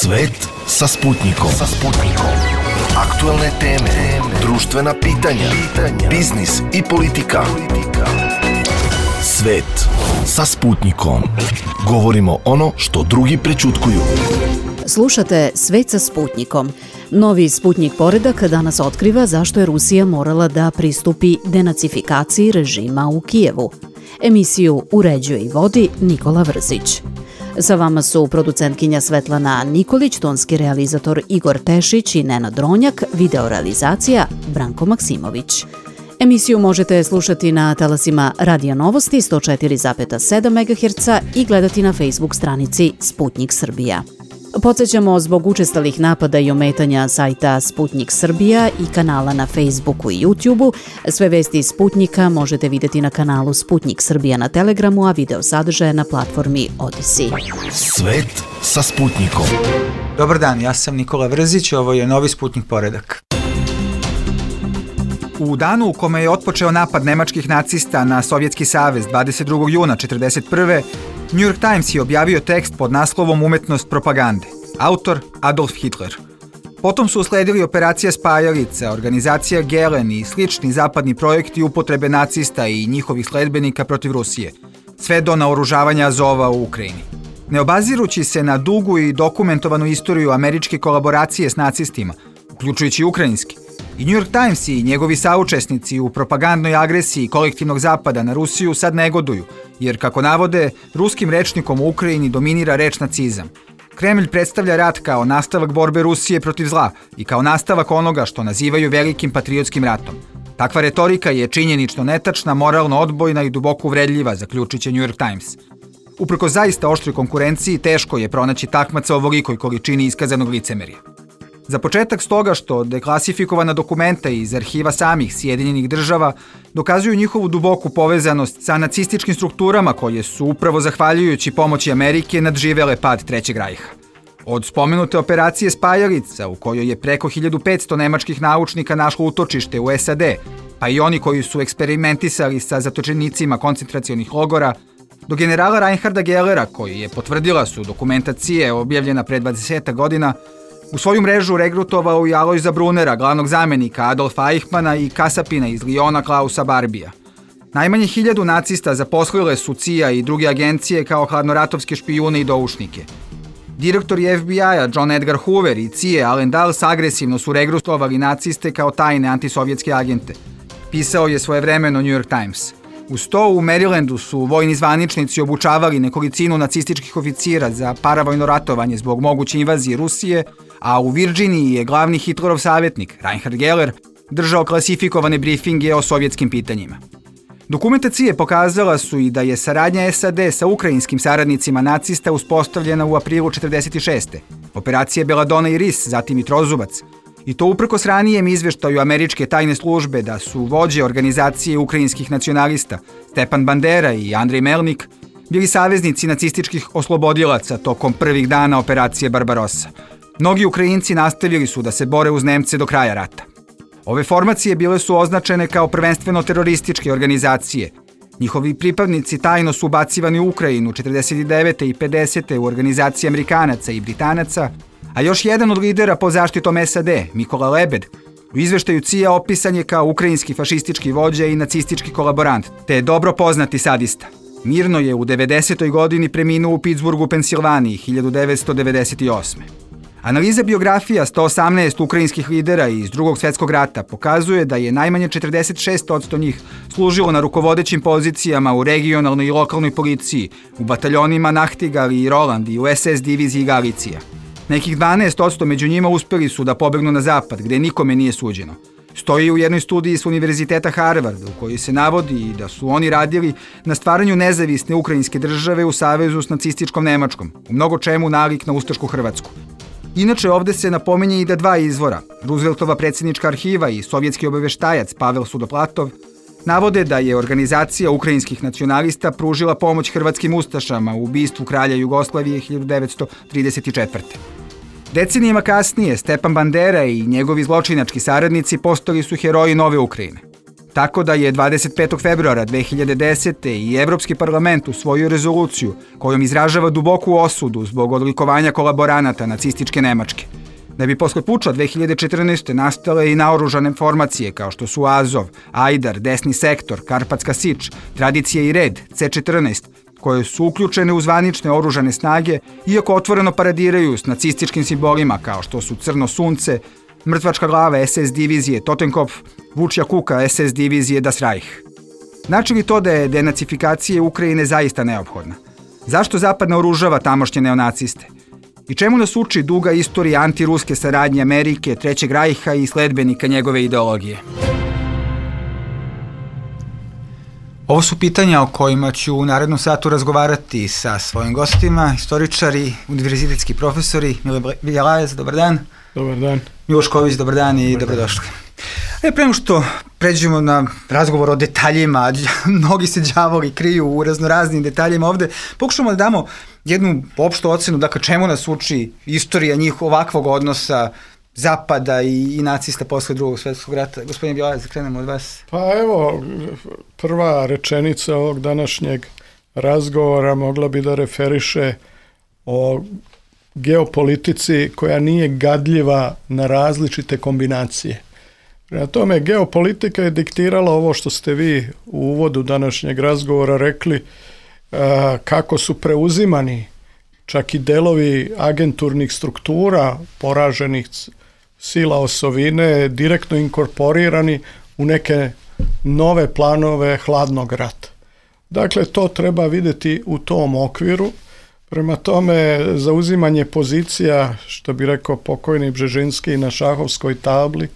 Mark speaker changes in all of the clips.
Speaker 1: Svet sa Sputnikom. Aktuelne teme, društvena pitanja, biznis i politika. Svet sa Sputnikom. Govorimo ono što drugi prećutkuju.
Speaker 2: Slušate Svet sa Sputnikom. Novi Sputnik poredak danas otkriva zašto je Rusija morala da pristupi denacifikaciji režima u Kijevu. Emisiju uređuje i vodi Nikola Vrzić. Sa vama su producentkinja Svetlana Nikolić, tonski realizator Igor Tešić i Nenad Dronjak, videorealizacija Branko Maksimović. Emisiju možete slušati na talasima Radio Novosti 104,7 MHz i gledati na Facebook stranici Sputnik Srbija. Podsjećamo, zbog učestalih napada i ometanja sajta Sputnik Srbija i kanala na Facebooku i YouTubeu, sve vesti iz Sputnika možete vidjeti na kanalu Sputnik Srbija na Telegramu, a video sadržaje na platformi Odyssey.
Speaker 1: Svet sa Sputnikom.
Speaker 3: Dobar dan, ja sam Nikola Vrzić, ovo je novi Sputnik poredak. U danu u kome je otpočeo napad nemačkih nacista na Sovjetski savez 22. juna 1941. New York Times je objavio tekst pod naslovom Umetnost propagande. Autor Adolf Hitler. Potom su usledili operacija Spajalica, organizacija Gehlen i slični zapadni projekti upotrebe nacista i njihovih sledbenika protiv Rusije, sve do naoružavanja Azova u Ukrajini. Ne obazirući se na dugu i dokumentovanu istoriju američke kolaboracije s nacistima, uključujući ukrajinski, i New York Times i njegovi saučesnici u propagandnoj agresiji kolektivnog zapada na Rusiju sad negoduju, jer, kako navode, ruskim rečnikom u Ukrajini dominira reč nacizam. Kremlj predstavlja rat kao nastavak borbe Rusije protiv zla i kao nastavak onoga što nazivaju velikim patriotskim ratom. Takva retorika je činjenično netačna, moralno odbojna i duboko uvredljiva, zaključiće New York Times. Uprkos zaista oštroj konkurenciji, teško je pronaći takmaca o ovolikoj količini iskazanog licemerja. Za početak stoga što deklasifikovana dokumenta iz arhiva samih Sjedinjenih država dokazuju njihovu duboku povezanost sa nacističkim strukturama koje su upravo zahvaljujući pomoći Amerike nadživele pad Trećeg rajha. Od spomenute operacije Spajalica, u kojoj je preko 1500 nemačkih naučnika našlo utočište u SAD, pa i oni koji su eksperimentisali sa zatočenicima koncentracionih logora, do generala Reinharda Gellera, koji je, potvrdila su dokumentacije objavljena pre 20 godina, u svoju mrežu regrutovao i Alojza Brunera, glavnog zamenika Adolfa Eichmana i kasapina iz Liona Klausa Barbija. Najmanje 1000 nacista zaposlile su CIA i druge agencije kao hladnoratovske špijune i doušnike. Direktori FBI-a John Edgar Hoover i CIA Allen Dulles agresivno su regrutovali naciste kao tajne antisovjetske agente, pisao je svojevremeno New York Times. Uz to, u Marylandu su vojni zvaničnici obučavali nekolicinu nacističkih oficira za paravojno ratovanje zbog moguće invazije Rusije, a u Virginiji je glavni Hitlerov savjetnik, Reinhard Geller, držao klasifikovane brifinge o sovjetskim pitanjima. Dokumentacije pokazala su i da je saradnja SAD sa ukrajinskim saradnicima nacista uspostavljena u aprilu 1946. Operacije Belladonna i Ris, zatim i Trozubac, i to uprkos ranijem izveštaju američke tajne službe da su vođe organizacije ukrajinskih nacionalista Stepan Bandera i Andrej Melnik bili saveznici nacističkih oslobodilaca tokom prvih dana operacije Barbarossa. Mnogi Ukrajinci nastavili su da se bore uz Nemce do kraja rata. Ove formacije bile su označene kao prvenstveno terorističke organizacije. Njihovi pripadnici tajno su ubacivani u Ukrajinu 49. i 50. u organizacije Amerikanaca i Britanaca, a još jedan od lidera pod zaštitom SAD, Mikola Lebed, u izveštaju CIA opisan je kao ukrajinski fašistički vođa i nacistički kolaborant, te je dobro poznati sadista. Mirno je u 90. godini preminuo u Pittsburghu, Pensilvaniji, 1998. Analiza biografija 118 ukrajinskih lidera iz Drugog svjetskog rata pokazuje da je najmanje 46% njih služilo na rukovodećim pozicijama u regionalnoj i lokalnoj policiji, u bataljonima Nachtigal i Roland i u SS diviziji Galicija. Nekih 12% među njima uspeli su da pobegnu na zapad, gde nikome nije suđeno. Stoji u jednoj studiji s Univerziteta Harvard, u kojoj se navodi da su oni radili na stvaranju nezavisne ukrajinske države u savezu s nacističkom Nemačkom, u mnogo čemu nalik na ustašku Hrvatsku. Inače, ovde se napominje i da dva izvora, Rooseveltova predsjednička arhiva i sovjetski obaveštajac Pavel Sudoplatov, navode da je organizacija ukrajinskih nacionalista pružila pomoć hrvatskim ustašama u ubistvu kralja Jugoslavije 1934. Decenijama kasnije Stepan Bandera i njegovi zločinački saradnici postali su heroji nove Ukrajine. Tako da je 25. februara 2010. i Evropski parlament usvojio rezoluciju kojom izražava duboku osudu zbog odlikovanja kolaboranata nacističke Nemačke. Da bi posle puča 2014. nastale i naoružane formacije kao što su Azov, Ajdar, Desni sektor, Karpatska Sič, Tradicija i red, C14, koje su uključene u zvanične oružane snage, iako otvoreno paradiraju s nacističkim simbolima kao što su Crno sunce, Mrtvačka glava SS divizije Totenkopf, Vučja kuka SS divizije Das Reich. Znači li to da je denacifikacija Ukrajine zaista neophodna? Zašto Zapad naoružava tamošnje neonaciste? I čemu nas uči duga istorija antiruske saradnje Amerike, Trećeg rajha i sledbenika njegove ideologije? Ovo su pitanja o kojima ću u narednom satu razgovarati sa svojim gostima, istoričari, univerzitetski profesori. Mile Bjelajec, dobar dan.
Speaker 4: Dobar dan.
Speaker 3: Miloš Ković, dobar dan i dobrodošli. Prema što pređemo na razgovor o detaljima, mnogi se đavoli kriju u raznoraznim detaljima ovde, pokušamo da damo jednu opštu ocenu, dakle čemu nas uči istorija njih ovakvog odnosa Zapada i nacista posle Drugog svjetskog rata. Gospodin Bjelajec, krenemo od vas.
Speaker 4: Pa evo, prva rečenica ovog današnjeg razgovora mogla bi da referiše o geopolitici koja nije gadljiva na različite kombinacije. Prema tome, geopolitika je diktirala ovo što ste vi u uvodu današnjeg razgovora rekli, kako su preuzimani čak i delovi agenturnih struktura poraženih sila osovine direktno inkorporirani u neke nove planove hladnog rata. Dakle, to treba vidjeti u tom okviru. Prema tome, zauzimanje pozicija, što bi rekao pokojni Bžežinski, na šahovskoj tabli,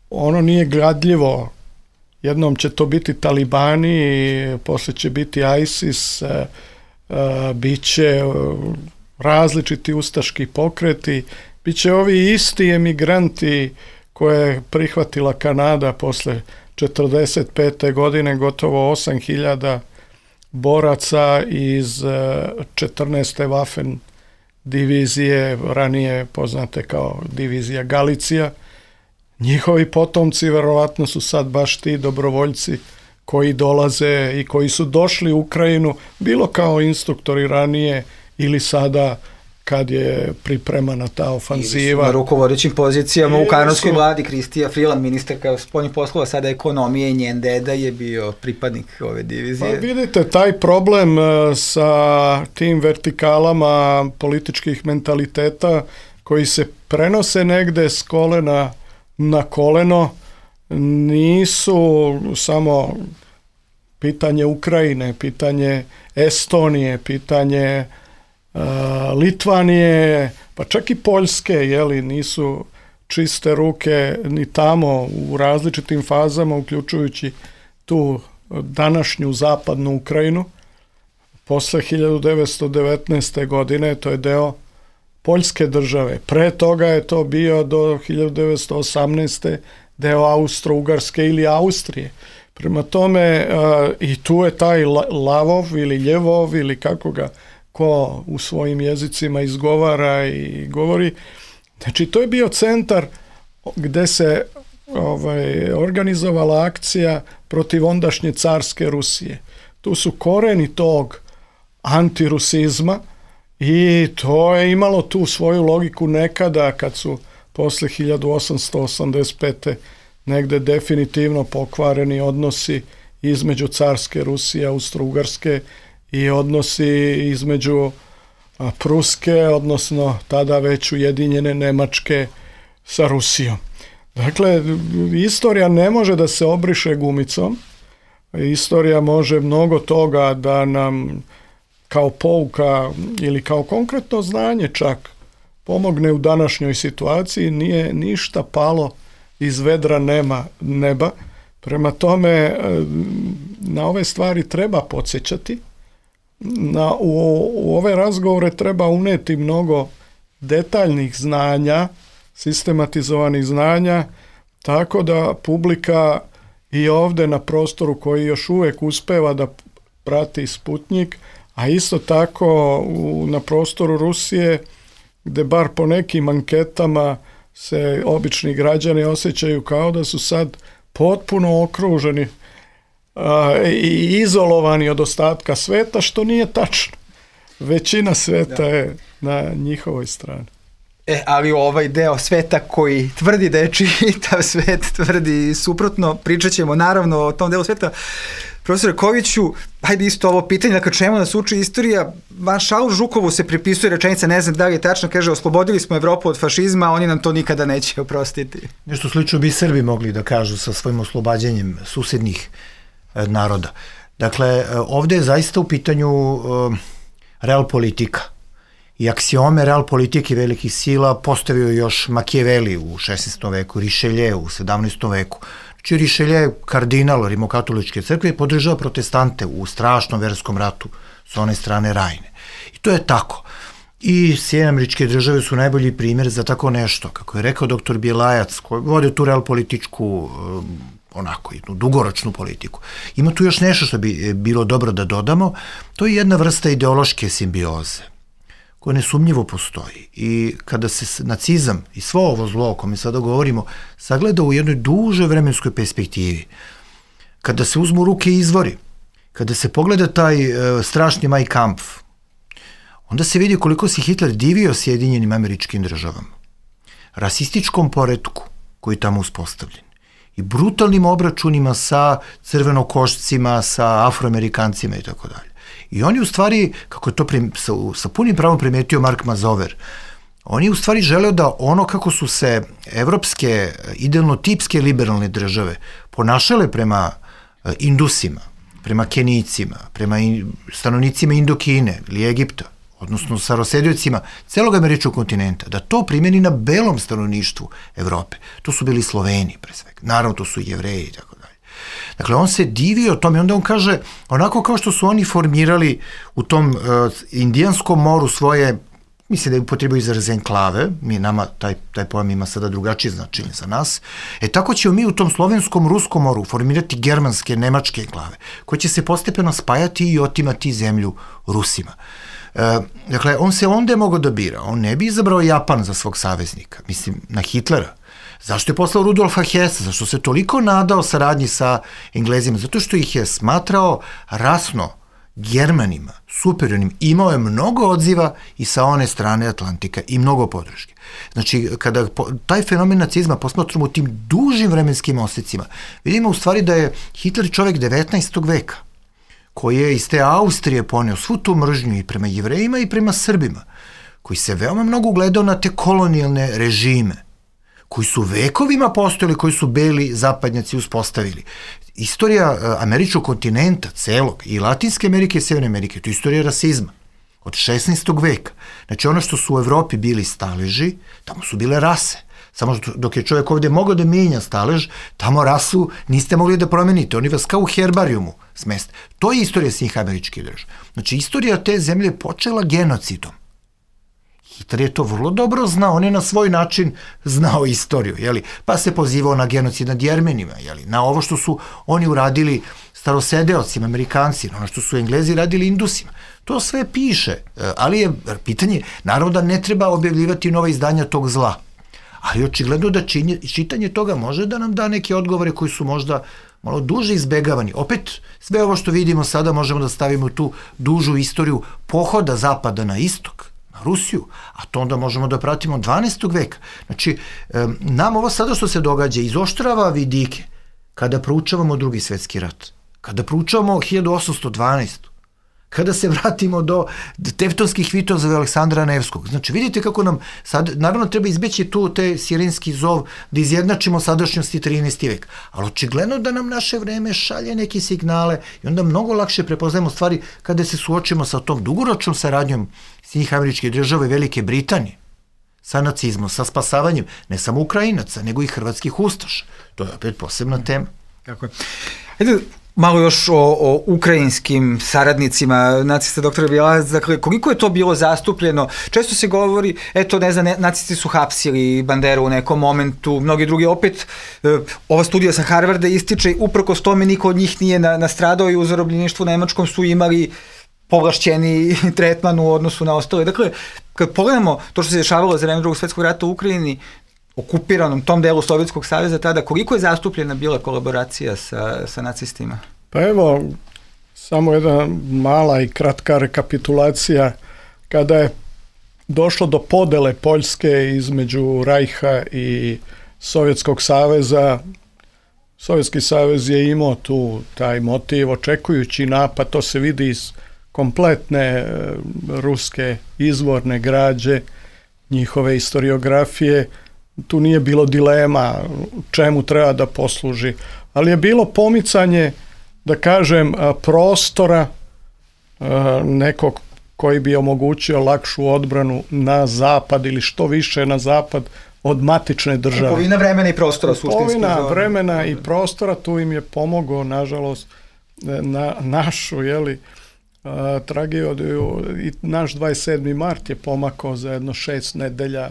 Speaker 4: ono nije gradljivo. Jednom će to biti talibani, posle će biti ISIS, bit će različiti ustaški pokreti, bit će ovi isti emigranti koje je prihvatila Kanada posle 1945. godine, gotovo 8.000 boraca iz 14. Waffen divizije, ranije poznate kao divizija Galicija. Njihovi potomci verovatno su sad baš ti dobrovoljci koji dolaze i koji su došli u Ukrajinu, bilo kao instruktori ranije ili sada kad je pripremana ta ofanziva.
Speaker 3: Na rukovodećim pozicijama u kanadskoj vladi, Kristija Freeland, ministarka spoljnih poslova, sada ekonomije, i njen deda je bio pripadnik ove divizije.
Speaker 4: Pa vidite, taj problem sa tim vertikalama političkih mentaliteta koji se prenose negde s kolena na koleno nisu samo pitanje Ukrajine, pitanje Estonije, pitanje Litvanije, pa čak i Poljske, nisu čiste ruke ni tamo u različitim fazama, uključujući tu današnju zapadnu Ukrajinu. Posle 1919. godine to je deo Poljske države. Pre toga je to bio do 1918. deo Austro-Ugarske ili Austrije. Prema tome i tu je taj Lavov ili Ljevov ili kako ga ko u svojim jezicima izgovara i govori. Znači, to je bio centar gde se organizovala akcija protiv ondašnje carske Rusije. Tu su koreni tog antirusizma i to je imalo tu svoju logiku nekada kad su posle 1885. negde definitivno pokvareni odnosi između carske Rusije, Austro-Ugarske i odnosi između Pruske, odnosno tada već ujedinjene Nemačke sa Rusijom. Dakle, istorija ne može da se obriše gumicom. Istorija može mnogo toga da nam kao pouka ili kao konkretno znanje čak pomogne u današnjoj situaciji. Nije ništa palo iz vedra neba. Prema tome, na ove stvari treba podsjećati. U ove razgovore treba uneti mnogo detaljnih znanja, sistematizovanih znanja, tako da publika i ovde na prostoru koji još uvek uspeva da prati Sputnjik, a isto tako na prostoru Rusije, gde bar po nekim anketama se obični građani osjećaju kao da su sad potpuno okruženi i izolovani od ostatka sveta, što nije tačno. Većina sveta je na njihovoj strani.
Speaker 3: Ali ovaj deo sveta koji tvrdi da je čitav svet, tvrdi suprotno, pričat ćemo naravno o tom delu sveta. Profesore Koviću, hajde isto ovo pitanje, dakle čemu nas uči istorija? Maršalu Žukovu se pripisuje rečenica, ne znam da li je tačno, kaže oslobodili smo Evropu od fašizma, oni nam to nikada neće oprostiti.
Speaker 5: Nešto slično bi Srbi mogli da kažu sa svojim oslobađanjem susednih naroda. Dakle, ovde je zaista u pitanju real politika. I aksiome real politike velikih sila postavio još Machiavelli u 16. veku, Richelieu u 17. veku. Znači Richelieu je kardinal rimokatoličke crkve i podržava protestante u strašnom verskom ratu s one strane Rajne. I to je tako. I Sjedinjene Američke Države su najbolji primjer za tako nešto. Kako je rekao doktor Bjelajac, koji vode tu real političku onako jednu dugoročnu politiku. Ima tu još nešto što bi bilo dobro da dodamo, to je jedna vrsta ideološke simbioze koja nesumnjivo postoji. I kada se nacizam i svo ovo zlo o kome sada govorimo sagleda u jednoj dužoj vremenskoj perspektivi, kada se uzmu u ruke izvori, kada se pogleda taj strašni Mein Kampf, onda se vidi koliko se Hitler divio Sjedinjenim Američkim Državama, rasističkom poretku koji je tamo uspostavljen i brutalnim obračunima sa crvenokošcima, sa afroamerikancima i tako dalje. I oni u stvari, kako je to sa punim pravom primetio Mark Mazover, oni u stvari želeo da ono kako su se evropske, idealno tipske liberalne države ponašale prema Indusima, prema Kenijcima, prema stanovnicima Indokine ili Egipta, odnosno sa rosediocima celog američkog kontinenta, da to primeni na belom stanovništvu Evrope. To su bili Sloveni, pre svega. Naravno, to su Jevreji i tako dalje. Dakle, on se divio tome i onda on kaže, onako kao što su oni formirali u tom Indijanskom moru svoje, mislim da je upotrebio izraz enklave, nama taj pojam ima sada drugačije značenje za nas, tako ćemo mi u tom Slovenskom, Ruskom moru formirati germanske, nemačke enklave, koje će se postepeno spajati i otimati zemlju Rusima. Dakle, on se onda mogao da bira, on ne bi izabrao Japan za svog saveznika, mislim na Hitlera. Zašto je poslao Rudolfa Hessa? Zašto se toliko nadao saradnji sa Englezima? Zato što ih je smatrao rasno Germanima, superiornim. Imao je mnogo odziva i sa one strane Atlantika i mnogo podrške. Znači, kada taj fenomen nacizma posmatramo u tim dužim vremenskim osecima, vidimo u stvari da je Hitler čovek 19. veka, koji je iz te Austrije poneo svu tu mržnju i prema Jevrejima i prema Srbima, koji se veoma mnogo ugledao na te kolonijalne režime, koji su vekovima postojali, koji su beli zapadnjaci uspostavili. Istorija američkog kontinenta, celog, i Latinske Amerike i Severne Amerike, to je istorija rasizma od 16. veka. Znači, ono što su u Evropi bili staleži, tamo su bile rase. Samo dok je čovjek ovdje mogao da mijenja stalež, tamo rasu niste mogli da promenite. Oni vas kao u herbarijumu smeste. To je istorija svih američkih država. Znači, istorija te zemlje je počela genocidom. Hitler je to vrlo dobro znao, on je na svoj način znao istoriju, jeli? Pa se pozivao na genocid nad Jermenima, jeli? Na ovo što su oni uradili starosedeocima, Amerikanci, na ono što su Englezi radili Indusima. To sve piše, ali je pitanje, naravno da ne treba objavljivati nova izdanja tog zla, ali očigledno da čitanje toga može da nam da neke odgovore koji su možda malo duže izbegavani. Opet, sve ovo što vidimo sada možemo da stavimo tu dužu istoriju pohoda zapada na istok, na Rusiju, a to onda možemo da pratimo 12. veka. Znači, nam ovo sada što se događa izoštrava vidike kada proučavamo Drugi svetski rat, kada proučavamo 1812. Kada se vratimo do tevtonskih vitozova Aleksandra Nevskog. Znači, vidite kako nam sad, naravno treba izbeći tu te sirenski zov da izjednačimo sadašnjosti 13. vek, ali očigledno da nam naše vreme šalje neke signale i onda mnogo lakše prepoznajemo stvari kada se suočimo sa tom dugoročnom saradnjom Sjedinjenih Američkih Država i Velike Britanije, sa nacizmom, sa spasavanjem ne samo Ukrajinaca, nego i hrvatskih ustaša. To je opet posebna tema.
Speaker 3: Tako je. Ajde, malo još o ukrajinskim saradnicima nacista doktora Bjelajac, dakle, koliko je to bilo zastupljeno? Često se govori, eto, ne znam, nacisti su hapsili Banderu u nekom momentu, mnogi drugi, opet, ova studija sa Harvarda ističe, uprkos tome niko od njih nije nastradao i u zarobljeništvu nemačkom su imali povlašćeni tretman u odnosu na ostale. Dakle, kad pogledamo to što se dešavalo za vreme Drugog svetskog rata u Ukrajini, okupiranom tom delu Sovjetskog saveza tada, koliko je zastupljena bila kolaboracija sa nacistima?
Speaker 4: Pa evo, samo jedna mala i kratka rekapitulacija. Kada je došlo do podele Poljske između Rajha i Sovjetskog saveza, Sovjetski savez je imao tu taj motiv, očekujući napad, to se vidi iz kompletne ruske izvorne građe, njihove historiografije, tu nije bilo dilema čemu treba da posluži, ali je bilo pomicanje, da kažem, prostora nekog koji bi omogućio lakšu odbranu na zapad ili što više na zapad od matične države.
Speaker 3: Kupovina vremena i prostora suštinski.
Speaker 4: Kupovina vremena i prostora, tu im je pomogao, nažalost, našu, tragediju, i naš 27. mart je pomakao za jedno 6 nedelja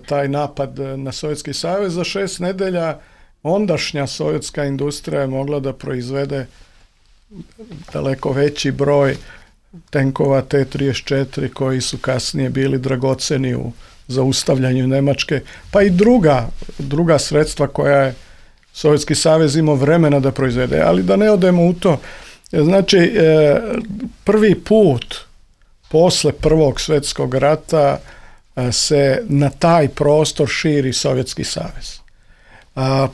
Speaker 4: taj napad na Sovjetski savez. Za 6 nedelja ondašnja sovjetska industrija je mogla da proizvede daleko veći broj tenkova T-34 koji su kasnije bili dragoceni u zaustavljanju Nemačke, pa i druga sredstva koja je Sovjetski savez imao vremena da proizvede. Ali da ne odemo u to, znači prvi put posle Prvog svjetskog rata se na taj prostor širi Sovjetski savez.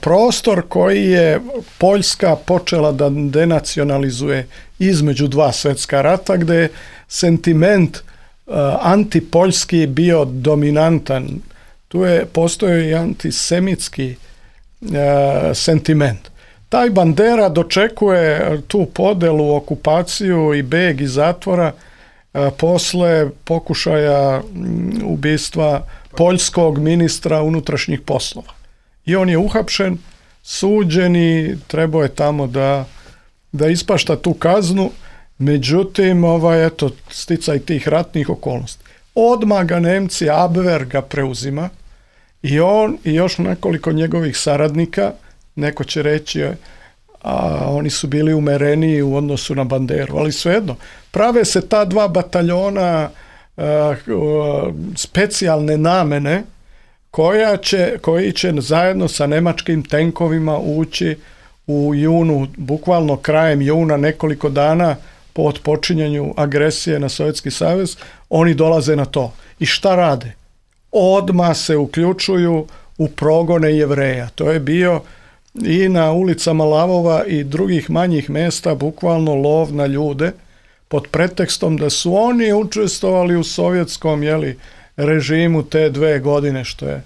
Speaker 4: Prostor koji je Poljska počela da denacionalizuje između dva svjetska rata, gde je sentiment antipoljski bio dominantan. Tu je postojao i antisemitski sentiment. Taj Bandera dočekuje tu podelu, okupaciju i beg iz zatvora posle pokušaja ubistva poljskog ministra unutrašnjih poslova. I on je uhapšen, suđen i trebao je tamo da ispašta tu kaznu, međutim, sticaj tih ratnih okolnosti. Odmah ga Nemci, Abwehr ga preuzima i on i još nekoliko njegovih saradnika, neko će reći, a oni su bili umereniji u odnosu na Banderu, ali svejedno, prave se ta dva bataljona specijalne namene koji će zajedno sa nemačkim tenkovima ući u junu, bukvalno krajem juna, nekoliko dana po otpočinjanju agresije na Sovjetski savez, oni dolaze na to. I šta rade? Odmah se uključuju u progone Jevreja. To je bio i na ulicama Lavova i drugih manjih mesta bukvalno lov na ljude pod pretekstom da su oni učestvovali u sovjetskom režimu te 2 godine, što je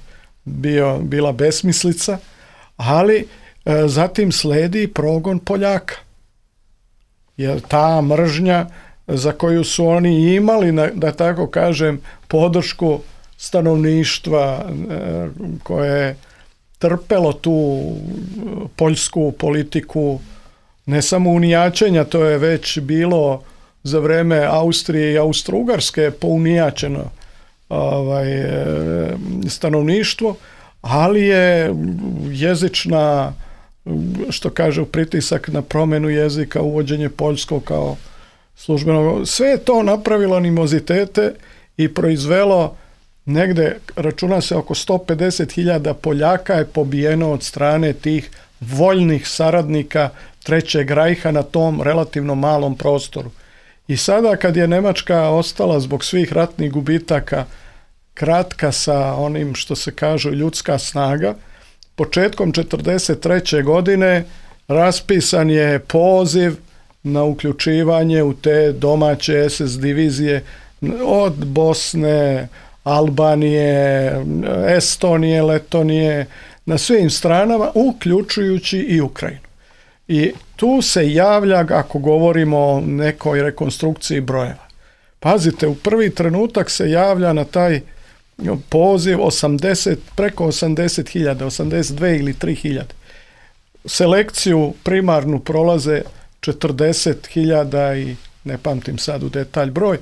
Speaker 4: bila besmislica, ali zatim sledi progon Poljaka. Jer ta mržnja za koju su oni imali, da tako kažem, podršku stanovništva koje je trpelo tu poljsku politiku, ne samo unijačenja, to je već bilo za vreme Austrije i Austro-Ugarske pounijačeno stanovništvo, ali je jezična, što kaže, pritisak na promjenu jezika, uvođenje poljskog kao službenog, sve je to napravilo animozitete i proizvelo negde, računa se, oko 150.000 Poljaka je pobijeno od strane tih voljnih saradnika Trećeg rajha na tom relativno malom prostoru. I sada kad je Nemačka ostala zbog svih ratnih gubitaka kratka sa onim što se kaže ljudska snaga, početkom 1943. godine raspisan je poziv na uključivanje u te domaće SS divizije od Bosne, Albanije, Estonije, Letonije, na svim stranama, uključujući i Ukrajinu. I tu se javlja, ako govorimo o nekoj rekonstrukciji brojeva. Pazite, u prvi trenutak se javlja na taj poziv preko 80.000, 82 ili 3.000. Selekciju primarnu prolaze 40.000 i ne pamtim sad u detalj broj,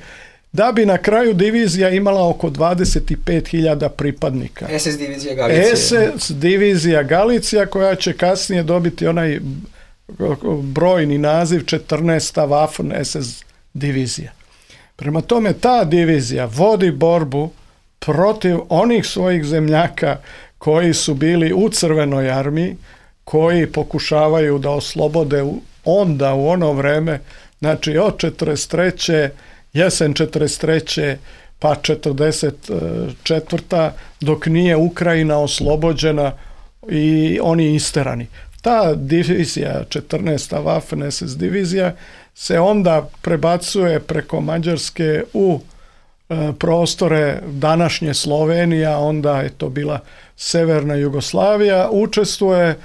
Speaker 4: da bi na kraju divizija imala oko 25.000 pripadnika.
Speaker 3: SS divizija Galicija.
Speaker 4: SS divizija Galicija, koja će kasnije dobiti onaj brojni naziv 14. Waffen SS divizija. Prema tome, ta divizija vodi borbu protiv onih svojih zemljaka koji su bili u Crvenoj armiji, koji pokušavaju da oslobode onda u ono vreme, znači od 43. jesen 43. pa 44. dok nije Ukrajina oslobođena i oni isterani. Ta divizija, 14. Waffen SS divizija, se onda prebacuje preko Mađarske u prostore današnje Slovenije, onda je to bila Severna Jugoslavija, učestvuje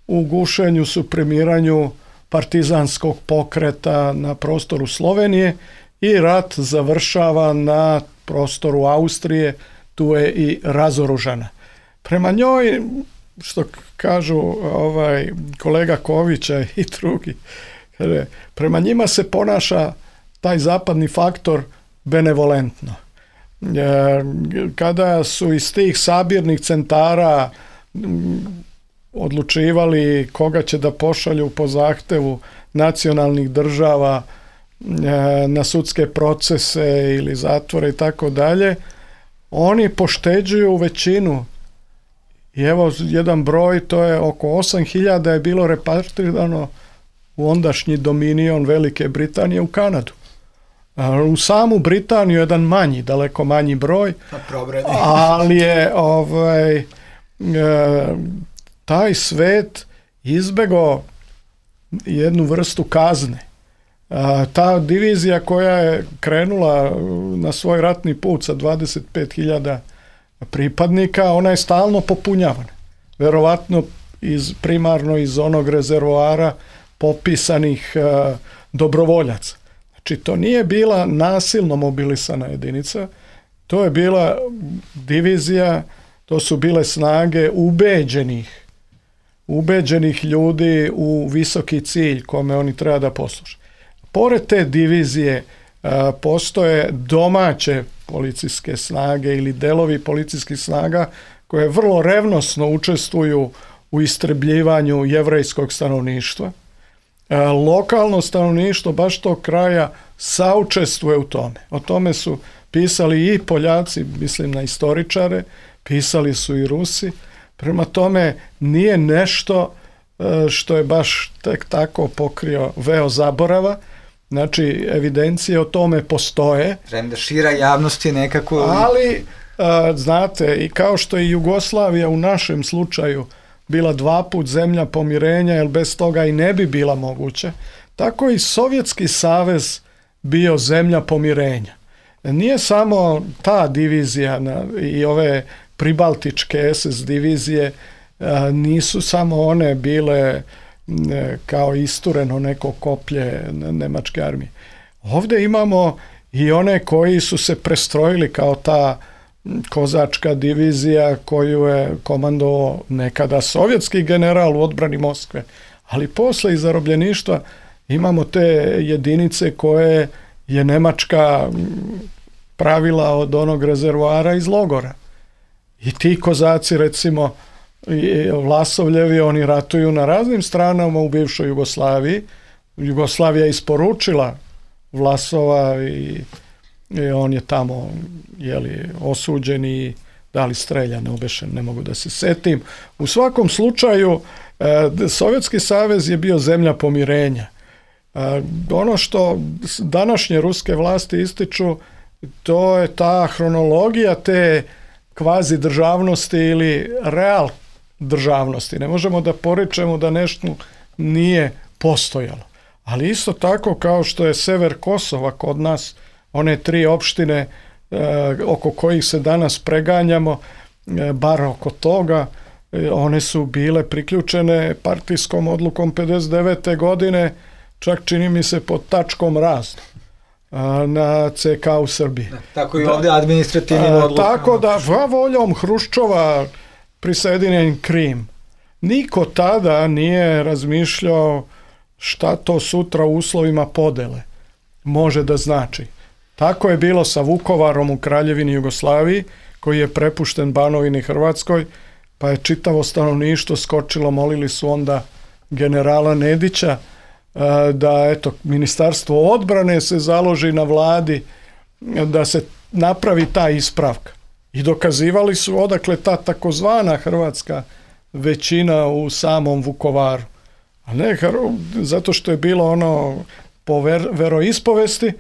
Speaker 4: u gušenju, suprimiranju partizanskog pokreta na prostoru Slovenije i rat završava na prostoru Austrije, tu je i razoružana. Prema njoj, što kažu kolega Kovića i drugi, prema njima se ponaša taj zapadni faktor benevolentno. Kada su iz tih sabirnih centara odlučivali koga će da pošalju po zahtevu nacionalnih država na sudske procese ili zatvore i tako dalje, oni pošteđuju većinu. I evo jedan broj, to je oko 8.000 je bilo repartirano u ondašnji dominion Velike Britanije u Kanadu. U samu Britaniju jedan manji, daleko manji broj, ali je taj svet izbegao jednu vrstu kazne. Ta divizija koja je krenula na svoj ratni put sa 25.000 pripadnika, ona je stalno popunjavana. Verovatno primarno iz onog rezervoara popisanih dobrovoljaca. Znači, to nije bila nasilno mobilisana jedinica, to je bila divizija, to su bile snage ubeđenih ljudi u visoki cilj kome oni treba da posluže. Pored te divizije postoje domaće policijske snage ili delovi policijskih snaga koje vrlo revnosno učestvuju u istrebljivanju jevrejskog stanovništva. Lokalno stanovništvo baš tog kraja saučestvuje u tome. O tome su pisali i Poljaci, mislim na istoričare, pisali su i Rusi. Prema tome nije nešto što je baš tek tako pokrio veo zaborava. Znači, evidencije o tome postoje.
Speaker 3: Premda šira javnost je nekako...
Speaker 4: Ali, znate, i kao što je Jugoslavija u našem slučaju bila 2 put zemlja pomirenja, jer bez toga i ne bi bila moguće, tako i Sovjetski savez bio zemlja pomirenja. Nije samo ta divizija i ove pribaltičke SS divizije, nisu samo one bile kao istureno neko koplje nemačke armije. Ovdje imamo i one koji su se prestrojili kao ta kozačka divizija koju je komandovao nekada sovjetski general u odbrani Moskve. Ali posle iz zarobljeništva imamo te jedinice koje je Nemačka pravila od onog rezervoara iz logora. I ti kozaci, recimo, Vlasovljevi, oni ratuju na raznim stranama u bivšoj Jugoslaviji. Jugoslavija je isporučila Vlasova i on je tamo osuđen i da li streljan, neobešen, ne mogu da se setim. U svakom slučaju, Sovjetski savez je bio zemlja pomirenja. Ono što današnje ruske vlasti ističu, to je ta hronologija te kvazi državnosti ili real državnosti. Ne možemo da porečemo da nešto nije postojalo. Ali isto tako kao što je sever Kosova kod nas, one 3 opštine oko kojih se danas preganjamo, bar oko toga, one su bile priključene partijskom odlukom 59. godine, čak čini mi se pod tačkom razno na CK u Srbiji.
Speaker 3: Tako i ovdje administrativnim odlukama.
Speaker 4: Tako da voljom Hruščova prisjedinjen Krim. Niko tada nije razmišljao šta to sutra u uslovima podele može da znači. Tako je bilo sa Vukovarom u Kraljevini Jugoslaviji, koji je prepušten Banovini Hrvatskoj, pa je čitavo stanovništvo skočilo, molili su onda generala Nedića da Ministarstvo odbrane se založi na vladi da se napravi ta ispravka. I dokazivali su odakle ta takozvana hrvatska većina u samom Vukovaru. A ne zato što je bilo ono po veroispovesti,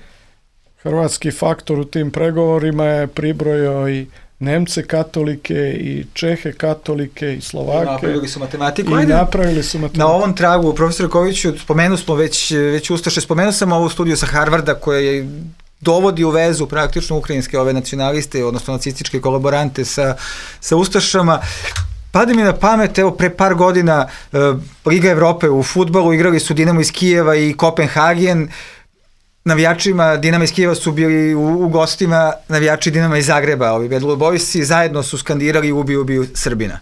Speaker 4: hrvatski faktor u tim pregovorima je pribrojao i Nemce katolike i Čehe katolike i Slovake.
Speaker 3: Napravili su matematiku.
Speaker 4: Na
Speaker 3: ovom tragu, profesor Koviću, spomenuo smo već Ustaše, spomenuo sam ovu studiju sa Harvarda koja je dovodi u vezu praktično ukrajinske ove nacionaliste, odnosno nacističke kolaborante sa Ustašama. Pade mi na pamet, evo pre par godina Liga Evrope u fudbalu, igrali su Dinamo iz Kijeva i Kopenhagen. Navijačima Dinama iz Kijeva su bili u gostima navijači Dinama iz Zagreba, ovi Bad Blue Boysi, zajedno su skandirali ubiju Srbina.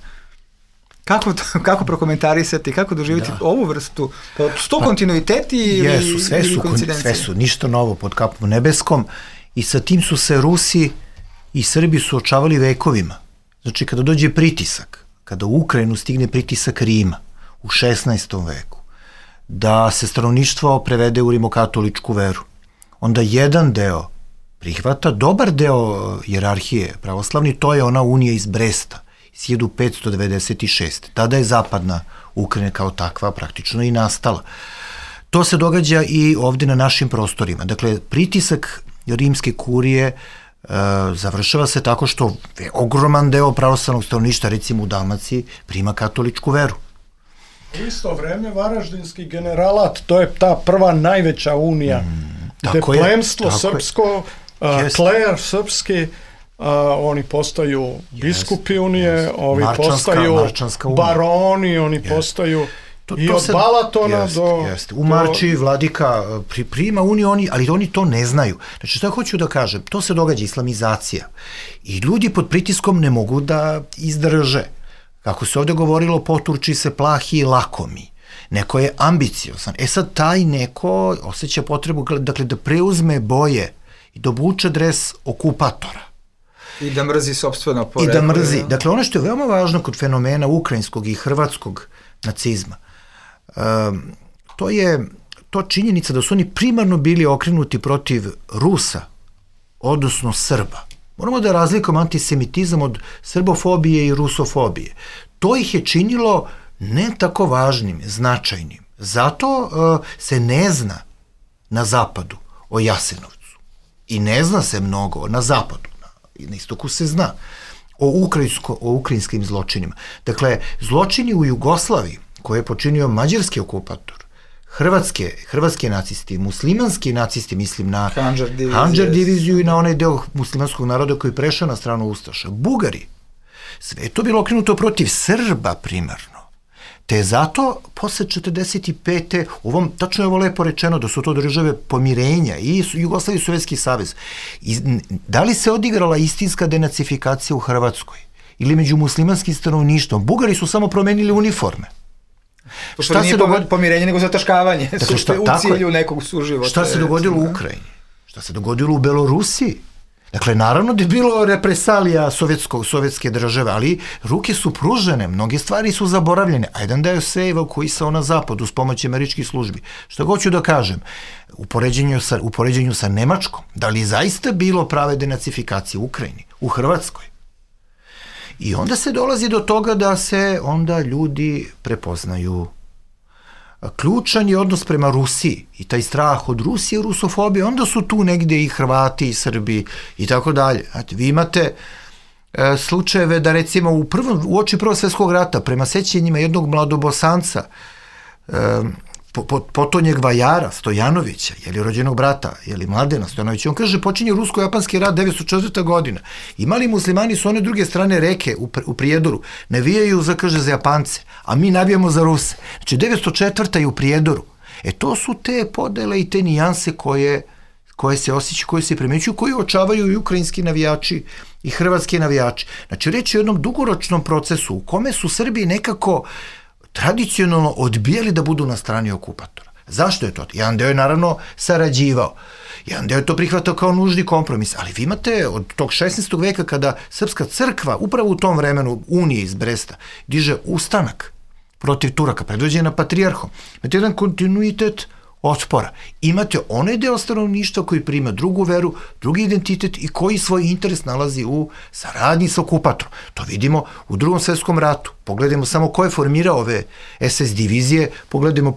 Speaker 3: Kako prokomentarisati, kako doživjeti ovu vrstu? Su to kontinuiteti ili koincidencije?
Speaker 5: Sve su, ništa novo pod kapom nebeskom i sa tim su se Rusi i Srbi suočavali vekovima. Znači kada dođe pritisak, kada u Ukrajinu stigne pritisak Rima u 16. veku, da se stanovništvo prevede u rimokatoličku veru, onda jedan deo prihvata, dobar deo hijerarhije pravoslavni, to je ona unija iz Bresta, iz 1596. Tada je zapadna Ukrajina kao takva praktično i nastala. To se događa i ovde na našim prostorima. Dakle, pritisak rimske kurije završava se tako što ogroman deo pravoslavnog stanovništva, recimo u Dalmaciji, prima katoličku veru.
Speaker 4: U isto vreme Varaždinski generalat, to je ta prva najveća unija, gde plemstvo srpsko, klejar srpski, oni postaju biskupi unije, ovi postaju baroni, oni postaju i od Balatona do...
Speaker 5: U Marči vladika prima uniju, ali oni to ne znaju. Znači, šta hoću da kažem? To se događa, islamizacija. I ljudi pod pritiskom ne mogu da izdrže. Kako se ovde govorilo, poturči se plahi i lakomi. Neko je ambiciozan. Sad taj neko osjeća potrebu, dakle, da preuzme boje i da obuče dres okupatora.
Speaker 3: I da mrzi sopstveno poreklo.
Speaker 5: I da mrzi. Dakle, ono što je veoma važno kod fenomena ukrajinskog i hrvatskog nacizma, to je činjenica da su oni primarno bili okrenuti protiv Rusa, odnosno Srba. Moramo da razlikujemo antisemitizam od srbofobije i rusofobije. To ih je činilo ne tako važnim, značajnim. Zato se ne zna na zapadu o Jasenovcu. I ne zna se mnogo na zapadu. Na istoku se zna o ukrajinskim zločinima. Dakle, zločini u Jugoslaviji koje je počinio mađarski okupator, hrvatski nacisti, muslimanski nacisti, mislim na Handžar diviziju i na onaj deo muslimanskog naroda koji je prešao na stranu Ustaša, Bugari. Sve je to bilo okrenuto protiv Srba primarno. Te zato, posle 45. tačno je ovo lepo rečeno da su to države pomirenja i Jugoslavija i Sovjetski savez. Da li se odigrala istinska denacifikacija u Hrvatskoj ili među muslimanskim stanovništvom? Bugari su samo promenili uniforme.
Speaker 3: Šta se dogodilo? Pomirenje nego zataškavanje. Dakle, u cilju nekog suživota.
Speaker 5: Šta se dogodilo u Ukrajini? Šta se dogodilo u Belorusiji? Dakle, naravno da je bilo represalija sovjetske države, ali ruke su pružene, mnoge stvari su zaboravljene, a jedan deo se evakuisao na zapadu s pomoći američkih službi. Što hoću da kažem, u poređenju sa Nemačkom, da li je zaista bilo prave denacifikacije u Ukrajini, u Hrvatskoj? I onda se dolazi do toga da se onda ljudi prepoznaju. Ključan je odnos prema Rusiji i taj strah od Rusije, rusofobije, onda su tu negde i Hrvati i Srbi i tako dalje. Vi imate slučajeve da recimo u oči Prvog svjetskog rata prema sećanjima jednog mladobosanca potonjeg vajara Stojanovića, rođenog brata, Mladena Stojanovića, on kaže počinje rusko-japanski rat 904. godina. I mali muslimani su one druge strane reke u Prijedoru, navijaju za Japance, a mi navijamo za Ruse. Znači 904. je u Prijedoru. To su te podele i te nijanse koje se osjećaju, koje se primećuju, koje očavaju i ukrajinski navijači i hrvatski navijači. Znači reč je o jednom dugoročnom procesu u kome su Srbi nekako tradicionalno odbijali da budu na strani okupatora. Zašto je to? Jedan deo je naravno sarađivao. Jedan deo je to prihvatao kao nužni kompromis. Ali vi imate od tog 16. veka kada Srpska crkva, upravo u tom vremenu Unije iz Bresta, diže ustanak protiv Turaka, predvođena patrijarhom. Imate jedan kontinuitet otpora. Imate onaj deo stanovništva koji prima drugu veru, drugi identitet i koji svoj interes nalazi u saradnji sa okupatorom. To vidimo u Drugom svetskom ratu. Pogledajmo samo ko je formirao ove SS divizije, pogledajmo,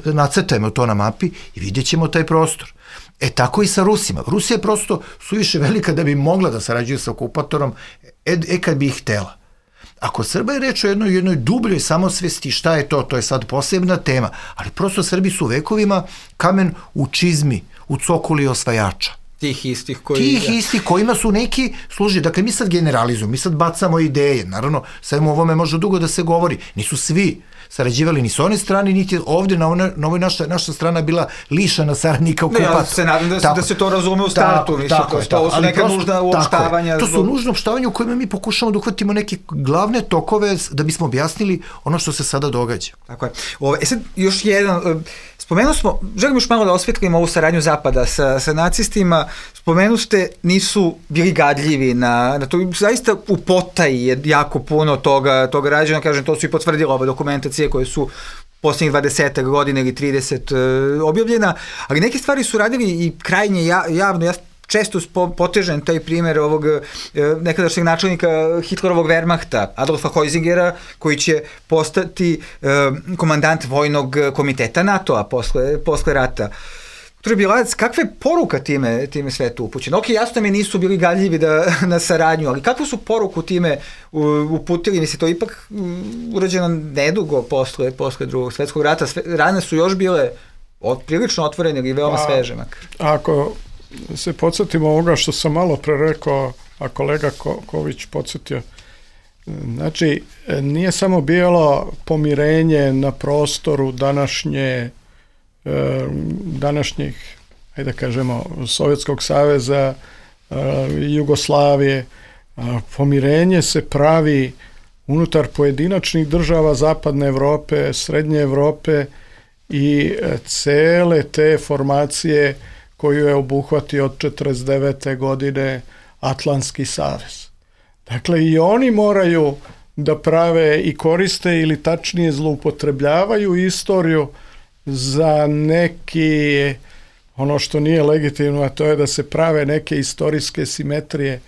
Speaker 5: nacrtajmo to na mapi i vidjet ćemo taj prostor. Tako i sa Rusima. Rusija je prosto suviše velika da bi mogla da sarađuje sa okupatorom, kad bi ih htela. Ako Srba je reč o jednoj dubljoj samosvesti, šta je to? To je sad posebna tema, ali prosto Srbi su vekovima kamen u čizmi, u cokuli osvajača.
Speaker 3: Tih istih
Speaker 5: kojima su neki služi. Dakle, mi sad generalizujemo, mi sad bacamo ideje. Naravno, svemu ovome može dugo da se govori. Nisu svi sarađivali ni s one strane, niti ovde na ovoj naša strana bila lišana saradnika okupatora.
Speaker 3: Ja se nadam da se to razume u startu. To su neka nužna uopštavanja.
Speaker 5: To su nužna uopštavanja u kojima mi pokušamo da uhvatimo neke glavne tokove da bismo objasnili ono što se sada događa.
Speaker 3: Tako je. Sad još jedan... Spomenuo smo, želim još malo da osvetlimo ovu saradnju Zapada sa nacistima, spomenuste nisu bili gadljivi na to, zaista u potaji je jako puno toga rađeno, kažem, to su i potvrdile ove dokumentacije koje su posljednjih 20 godina ili 30 objavljena, ali neke stvari su radili i krajnje javno. Ja često potežem taj primjer ovog nekadašnjeg načelnika Hitlerovog Wehrmachta, Adolfa Heusingera, koji će postati komandant vojnog komiteta NATO-a posle rata. Dr. Bilac, kakva je poruka time svetu upućena? Ok, jasno mi nisu bili gadljivi na saradnju, ali kakvu su poruku time uputili? Mislim, to ipak urađeno nedugo posle Drugog svetskog rata. Rane su još bile prilično otvorene ili veoma sveže.
Speaker 4: Ako se podsjetimo ovoga što sam malo pre rekao, a kolega Ković podsjetio, znači nije samo bilo pomirenje na prostoru današnjih, ajde da kažemo, Sovjetskog saveza, Jugoslavije. Pomirenje se pravi unutar pojedinačnih država Zapadne Evrope, Srednje Evrope i cele te formacije koju je obuhvatio od 49. godine Atlantski savez. Dakle, i oni moraju da prave i koriste ili tačnije zloupotrebljavaju istoriju za neki, ono što nije legitimno, a to je da se prave neke istorijske simetrije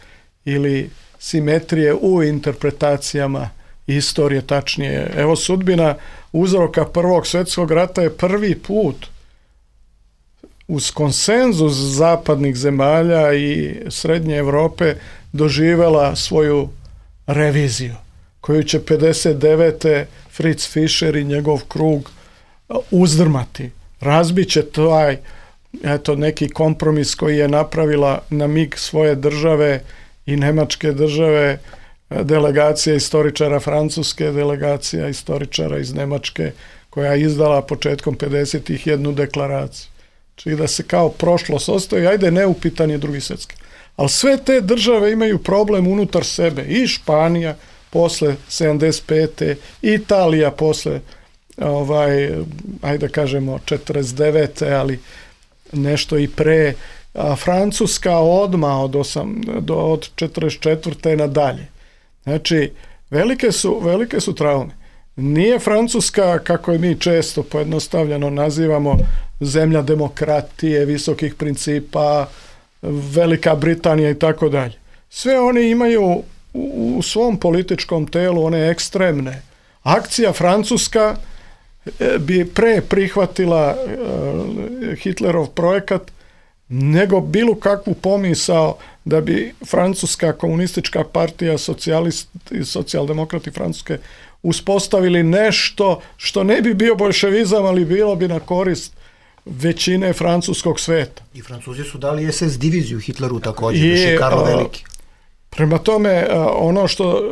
Speaker 4: ili simetrije u interpretacijama istorije, tačnije. Evo, sudbina uzroka Prvog svjetskog rata je prvi put uz konsenzus zapadnih zemalja i Srednje Evrope doživela svoju reviziju, koju će 59. Fritz Fischer i njegov krug uzdrmati. Razbiće taj neki kompromis koji je napravila na mig svoje države i nemačke države, delegacija istoričara Francuske, delegacija istoričara iz Nemačke, koja je izdala početkom 50-ih jednu deklaraciju. Znači da se kao prošlost ostaje, ajde, neupitan je Drugi svjetski. Ali sve te države imaju problem unutar sebe. I Španija posle 75. Italija posle ajde kažemo 49. ali nešto i pre, Francuska odmah od 44. nadalje. Znači, velike su traume. Nije Francuska, kako je mi često pojednostavljeno nazivamo, zemlja demokratije, visokih principa, Velika Britanija i tako dalje. Sve oni imaju u svom političkom telu one ekstremne. Akcija Francuska bi pre prihvatila Hitlerov projekat nego bilo kakvu pomisao da bi Francuska komunistička partija, socijaldemokrati Francuske uspostavili nešto što ne bi bio boljševizam, ali bilo bi na korist većine francuskog sveta.
Speaker 5: I Francuzi su dali SS diviziju Hitleru također, više Karlo Veliki.
Speaker 4: Prema tome, ono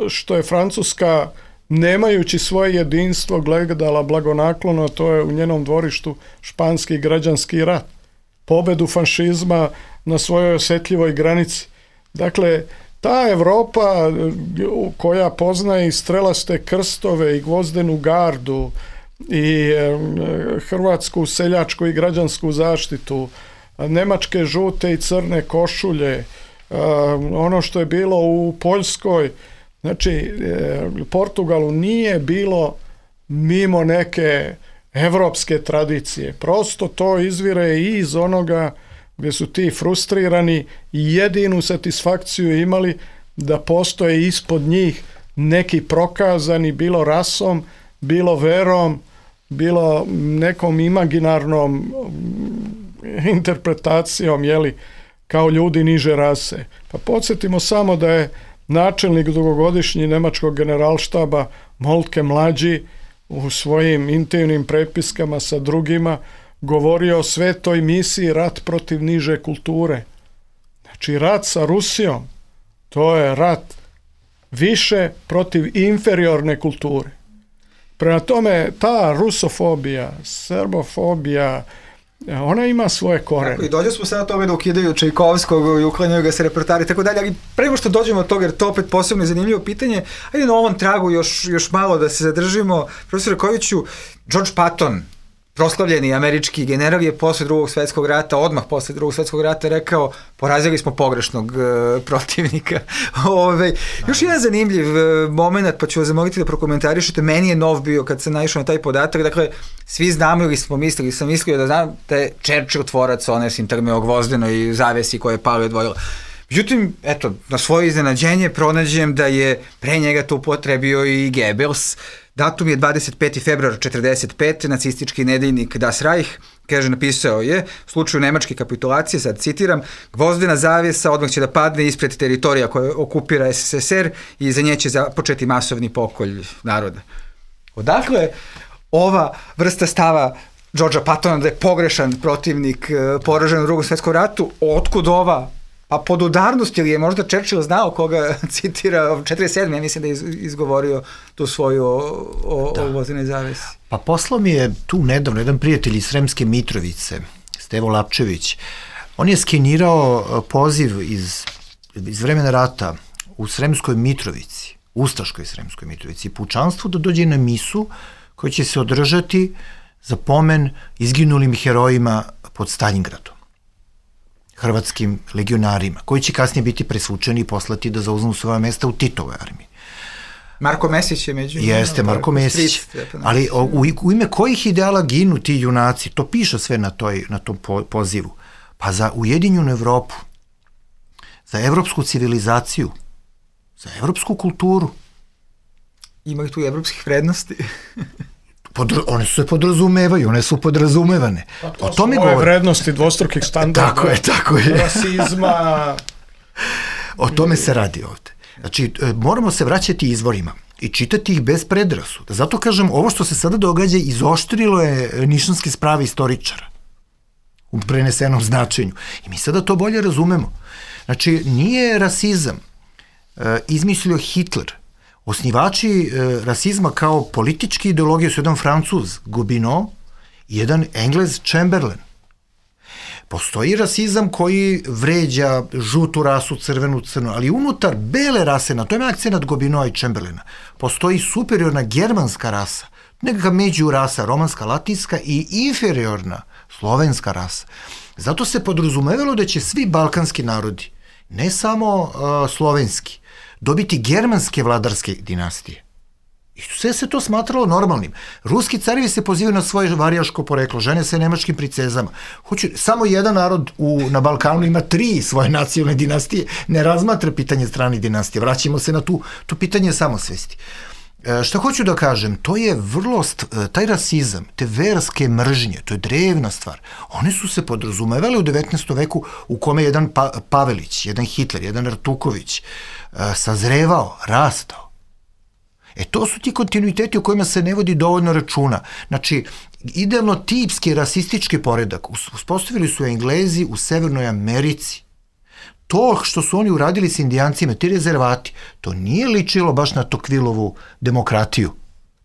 Speaker 4: što je Francuska, nemajući svoje jedinstvo, gledala blagonaklono, to je u njenom dvorištu španski građanski rat. Pobedu fašizma na svojoj osjetljivoj granici. Dakle, ta Evropa koja poznaje i strelaste krstove i gvozdenu gardu i hrvatsku seljačku i građansku zaštitu, nemačke žute i crne košulje, ono što je bilo u Poljskoj, znači Portugalu nije bilo mimo neke evropske tradicije. Prosto to izvire i iz onoga gdje su ti frustrirani i jedinu satisfakciju imali da postoje ispod njih neki prokazani, bilo rasom, bilo verom, bilo nekom imaginarnom interpretacijom, kao ljudi niže rase. Pa podsjetimo samo da je načelnik dugogodišnji nemačkog generalštaba Moltke mlađi u svojim intimnim prepiskama sa drugima govorio o svetoj misiji rat protiv niže kulture. Znači, rat sa Rusijom, to je rat više protiv inferiorne kulture. Prema tome, ta rusofobija, srbofobija, ona ima svoje korene.
Speaker 3: Tako, i dođe smo sada toga da ukidaju Čajkovskog i uklanjaju ga se repertoari i tako dalje, ali prema što dođemo od toga, jer to opet posebno zanimljivo pitanje, ajde na ovom tragu još malo da se zadržimo. Profesor Kojiću, George Patton, proslavljeni američki general, je posle Drugog svetskog rata, odmah posle Drugog svetskog rata rekao, porazili smo pogrešnog protivnika. Još jedan zanimljiv moment, pa ću vas zamoliti da prokomentarišete, meni je nov bio kad sam naišao na taj podatak, dakle, svi znamo ili smo mislili, sam mislio da znam da je Churchill tvorac one sintagme o gvozdenoj zavesi koja je pala i odvojila. Međutim, eto, na svoje iznenađenje pronađem da je pre njega to upotrebio i Goebbels. Datum je 25. februar 1945. Nacistički nedeljnik Das Reich, kaže, napisao je, u slučaju nemačke kapitulacije, sad citiram, gvozdena zavjesa odmah će da padne ispred teritorija koje okupira SSSR i za nje će započeti masovni pokolj naroda. Odakle ova vrsta stava Georgea Pattona da je pogrešan protivnik poražen u Drugom svetskom ratu, otkud ova podudarnost, ili je možda Churchill znao koga citira, 47. ja mislim da je izgovorio tu svoju o gvozdenoj zavesi. Pa
Speaker 5: poslao mi je tu nedavno jedan prijatelj iz Sremske Mitrovice, Stevo Lapčević. On je skenirao poziv iz vremena rata u Sremskoj Mitrovici, Ustaškoj Sremskoj Mitrovici, pučanstvu da dođe na misu koja će se održati za pomen izginulim herojima pod Staljingradom, hrvatskim legionarima, koji će kasnije biti presvučeni i poslati da zauzmu svoja mesta u Titovoj armiji.
Speaker 3: Marko Mesić je među njima.
Speaker 5: Jeste, Marko Mesić. Ali u ime kojih ideala ginu ti junaci? To piše sve na tom pozivu. Pa za Ujedinjenu Evropu, za evropsku civilizaciju, za evropsku kulturu.
Speaker 3: Ima tu evropskih vrednosti?
Speaker 5: One se podrazumevaju, one su podrazumevane.
Speaker 4: Pa to su ove vrednosti dvostrukih standarda.
Speaker 5: Tako je.
Speaker 4: Rasizma.
Speaker 5: O tome se radi ovde. Znači, moramo se vraćati izvorima i čitati ih bez predrasuda. Zato kažem, ovo što se sada događa izoštrilo je nišanske sprave istoričara u prenesenom značenju. I mi sada to bolje razumemo. Znači, nije rasizam izmislio Hitler. Osnivači rasizma kao politički ideologije su jedan Francuz, Gobineau, i jedan Englez, Chamberlain. Postoji rasizam koji vređa žutu rasu, crvenu, crnu, ali unutar bele rase, na tome akcenat Gobineau i Chamberlaina, postoji superiorna germanska rasa, nekakva među rasa, romanska, latinska i inferiorna slovenska rasa. Zato se podrazumevalo da će svi balkanski narodi, ne samo slovenski, dobiti germanske vladarske dinastije. I sve se to smatralo normalnim. Ruski carevi se pozivaju na svoje varijaško poreklo, žene se nemačkim princezama. Samo jedan narod na Balkanu ima 3 svoje nacionalne dinastije, ne razmatra pitanje stranih dinastije. Vraćamo se na tu pitanje samosvesti. Šta hoću da kažem, to je taj rasizam, te verske mržnje, to je drevna stvar. One su se podrazumevale u 19. veku u kome jedan Pavelić, jedan Hitler, jedan Artuković sazrevao, rastao. To su ti kontinuiteti o kojima se ne vodi dovoljno računa. Znači, idealno tipski rasistički poredak uspostavili su Englezi u Severnoj Americi. To što su oni uradili s Indijancima, ti rezervati, to nije ličilo baš na Tocquevillovu demokratiju.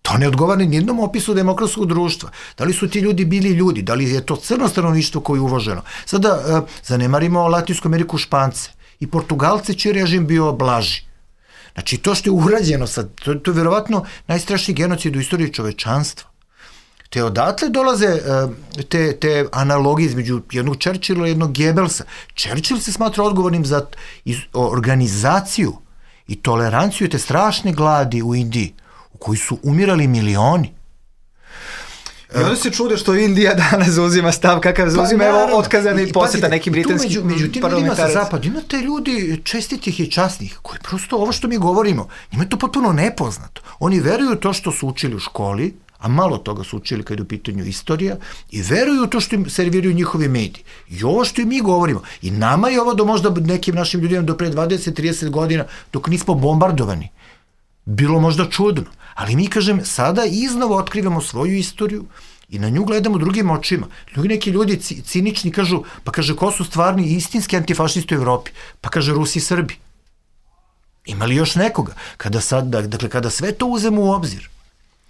Speaker 5: To ne odgovara nijednom opisu demokratskog društva. Da li su ti ljudi bili ljudi, da li je to crno stanovništvo koje je uvoženo. Sada zanemarimo Latinsku Ameriku, Špance i Portugalce, čiji režim bio blaži. Znači, to što je urađeno sad, to je verovatno najstrašniji genocid u istoriji čovečanstva. Te odatle dolaze te analogije između jednog Churchilla i jednog Goebbelsa. Churchill se smatra odgovornim za organizaciju i toleranciju te strašne gladi u Indiji, u kojoj su umirali milioni.
Speaker 3: I onda se čude što Indija danas zauzima stav kakav zauzima, evo otkazani posjeta nekim britanskim
Speaker 5: među tim ljudima sa zapada imate ljudi čestitih i časnih, koji prosto ovo što mi govorimo, njima je to potpuno nepoznato. Oni veruju to što su učili u školi, a malo toga su učili kad je u pitanju istorija, i veruju to što im serviraju njihovi mediji. I ovo što i mi govorimo, i nama je ovo do možda nekim našim ljudima do pre 20-30 godina, dok nismo bombardovani, bilo možda čudno. Ali mi, kažem, sada iznova otkrivamo svoju istoriju i na nju gledamo drugim očima. Neki ljudi cinični kažu, pa kaže, ko su stvarni istinski antifašisti u Evropi? Pa kaže, Rusi i Srbi. Ima li još nekoga? Kada sve to uzemo u obzir,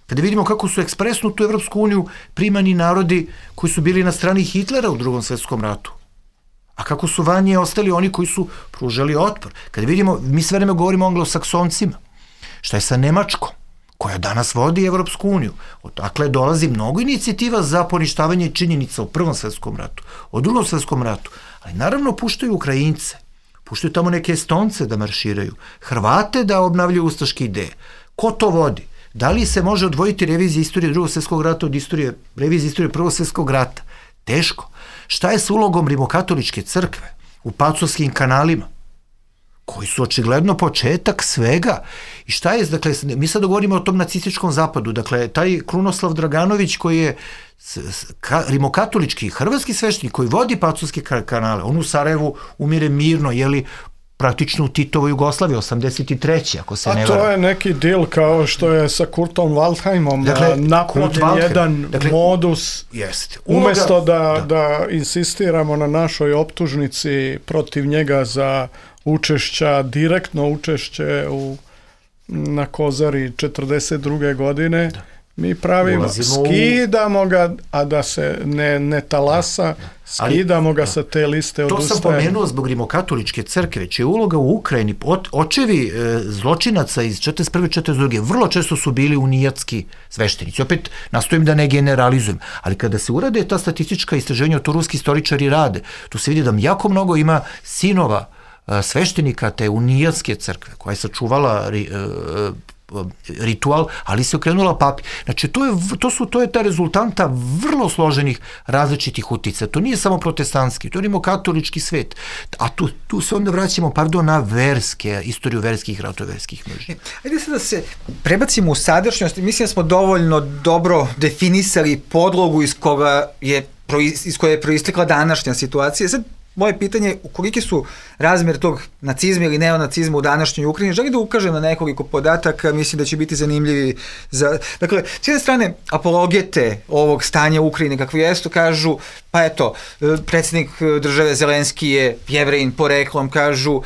Speaker 5: kada vidimo kako su ekspresno u tu Evropsku uniju primani narodi koji su bili na strani Hitlera u Drugom svetskom ratu, a kako su vanje ostali oni koji su pružali otpor. Kada vidimo, mi sve vreme govorimo o anglosaksoncima, šta je sa Nemačkom, koja danas vodi Evropsku uniju. Odakle dolazi mnogo inicijativa za poništavanje činjenica o Prvom svetskom ratu, o Drugom svetskom ratu, ali naravno puštaju Ukrajince, puštaju tamo neke Estonce da marširaju, Hrvate da obnavljaju ustaške ideje. Ko to vodi? Da li se može odvojiti revizija istorije Drugog svjetskog rata od revizije istorije Prvog svjetskog rata? Teško. Šta je s ulogom rimokatoličke crkve u Pacovskim kanalima, koji su očigledno početak svega? I šta je, dakle, mi sad govorimo o tom nacističkom zapadu, dakle, taj Krunoslav Draganović koji je rimokatolički hrvatski sveštenik koji vodi Pacovske kanale, on u Sarajevu umire mirno, jeli, praktično u Titovoj Jugoslaviji, 83. ako se ne varam.
Speaker 4: A to je neki deal kao što je sa Kurtom Waldheimom, dakle, napravljen jedan modus, umjesto da insistiramo na našoj optužnici protiv njega za direktno učešće na Kozari 42. godine, mi pravimo, skidamo ga, a da se ne talasa, skidamo ga sa te liste odustajanja.
Speaker 5: To sam pomenuo zbog rimokatoličke crkve, čija uloga u Ukrajini, očevi zločinaca iz 41. 42. vrlo često su bili unijatski sveštenici. Opet nastojim da ne generalizujem, ali kada se urade ta statistička istraženja, to ruski istoričari rade, tu se vidi da jako mnogo ima sinova sveštenika te unijatske crkve, koja je sačuvala ritual, ali se okrenula papi. Znači, to je ta rezultanta vrlo složenih različitih utica. To nije samo protestantski, to je rimokatolički svet. A tu se onda vraćamo, na istoriju verskih ratova, verskih mržnji.
Speaker 3: Ajde sad da se prebacimo u sadašnjost. Mislim da smo dovoljno dobro definisali podlogu iz koje je proistekla današnja situacija. Sad, moje pitanje je koliki su razmjer tog nacizma ili neonacizma u današnjoj Ukrajini. Želim da ukažem na nekoliko podataka, mislim da će biti zanimljivi. Dakle, s jedne strane, apologete ovog stanja u Ukrajini, kakvo jesu, kažu, pa eto, predsjednik države Zelenski je Jevrejin poreklom, kažu,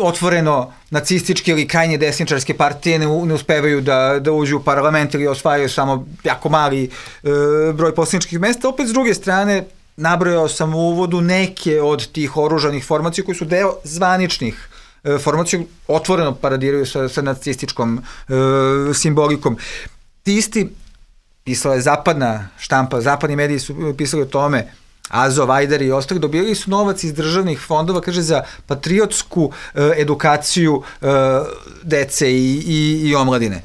Speaker 3: otvoreno nacističke ili krajnje desničarske partije ne uspevaju da uđu u parlament ili osvajaju samo jako mali broj poslaničkih mesta. Opet, s druge strane, nabrojao sam u uvodu neke od tih oružanih formacija koji su deo zvaničnih formacija, otvoreno paradiraju sa nacističkom simbolikom. Ti isti, pisala je zapadna štampa, zapadni mediji su pisali o tome, Azov, Ajdar i ostali, dobili su novac iz državnih fondova, kaže, za patriotsku edukaciju dece i omladine.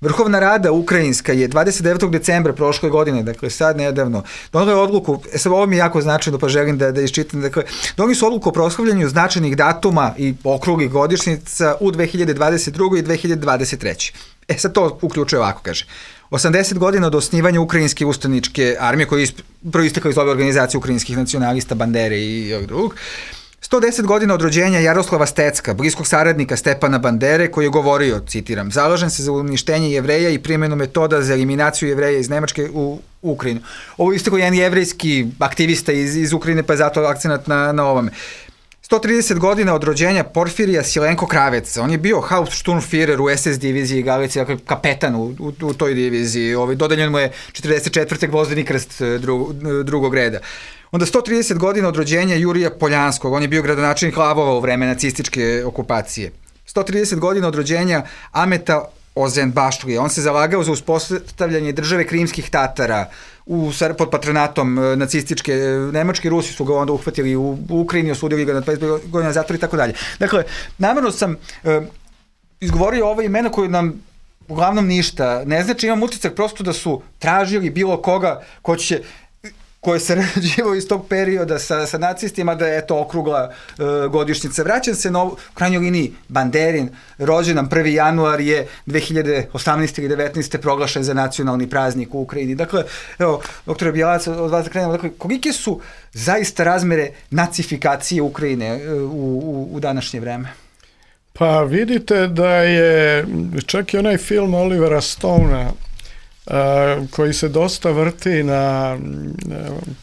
Speaker 3: Vrhovna rada ukrajinska je 29. decembra prošle godine, dakle sad nedavno, donela je odluku, sad ovo mi je jako značajno pa želim da iščitam, dakle, doneli su odluku o proslavljanju značajnih datuma i okruglih godišnjica u 2022. i 2023. Sad to uključuje ovako, kaže. 80 godina od osnivanja Ukrajinske ustaničke armije, koja je proistekla iz ove organizacije ukrajinskih nacionalista, Bandere i ovog drugog. 110 godina od rođenja Jaroslava Stecka, bliskog saradnika Stepana Bandere, koji je govorio, citiram, zalažem se za uništenje Jevreja i primjenu metoda za eliminaciju Jevreja iz Nemačke u Ukrajinu. Ovo je isto jedan jevrejski aktivista iz Ukrajine, pa je zato akcenat na ovome. 130 godina od rođenja Porfirija Silenko Kravec. On je bio Hauptsturmführer u SS diviziji Galicije, dakle kapetan u toj diviziji. Dodeljen mu je 44. gvozdeni krst drugog reda. Onda 130 godina od rođenja Jurija Poljanskog. On je bio gradonačelnik Lavova u vreme nacističke okupacije. 130 godina od rođenja Ameta Ozenbašlije. On se zalagao za uspostavljanje države krimskih Tatara pod patronatom nacističke Nemačke. Rusi su ga onda uhvatili u Ukrajini, osudili ga na 25 godina zatvora i tako dalje. Dakle, namjerno sam izgovorio ova imena koje nam uglavnom ništa. Ne znači imam utisak prosto da su tražili bilo koga ko je sarađivao iz tog perioda sa nacistima, da je eto okrugla godišnjica. Vraćam se na u krajnjoj liniji Banderin, rođendan 1. januar je 2018. ili 19. proglašen za nacionalni praznik u Ukrajini. Dakle, evo, doktore Bjelac, od vas da krenemo, dakle, kolike su zaista razmere nacifikacije Ukrajine u današnje vreme?
Speaker 4: Pa vidite da je čak i onaj film Olivera Stonea koji se dosta vrti na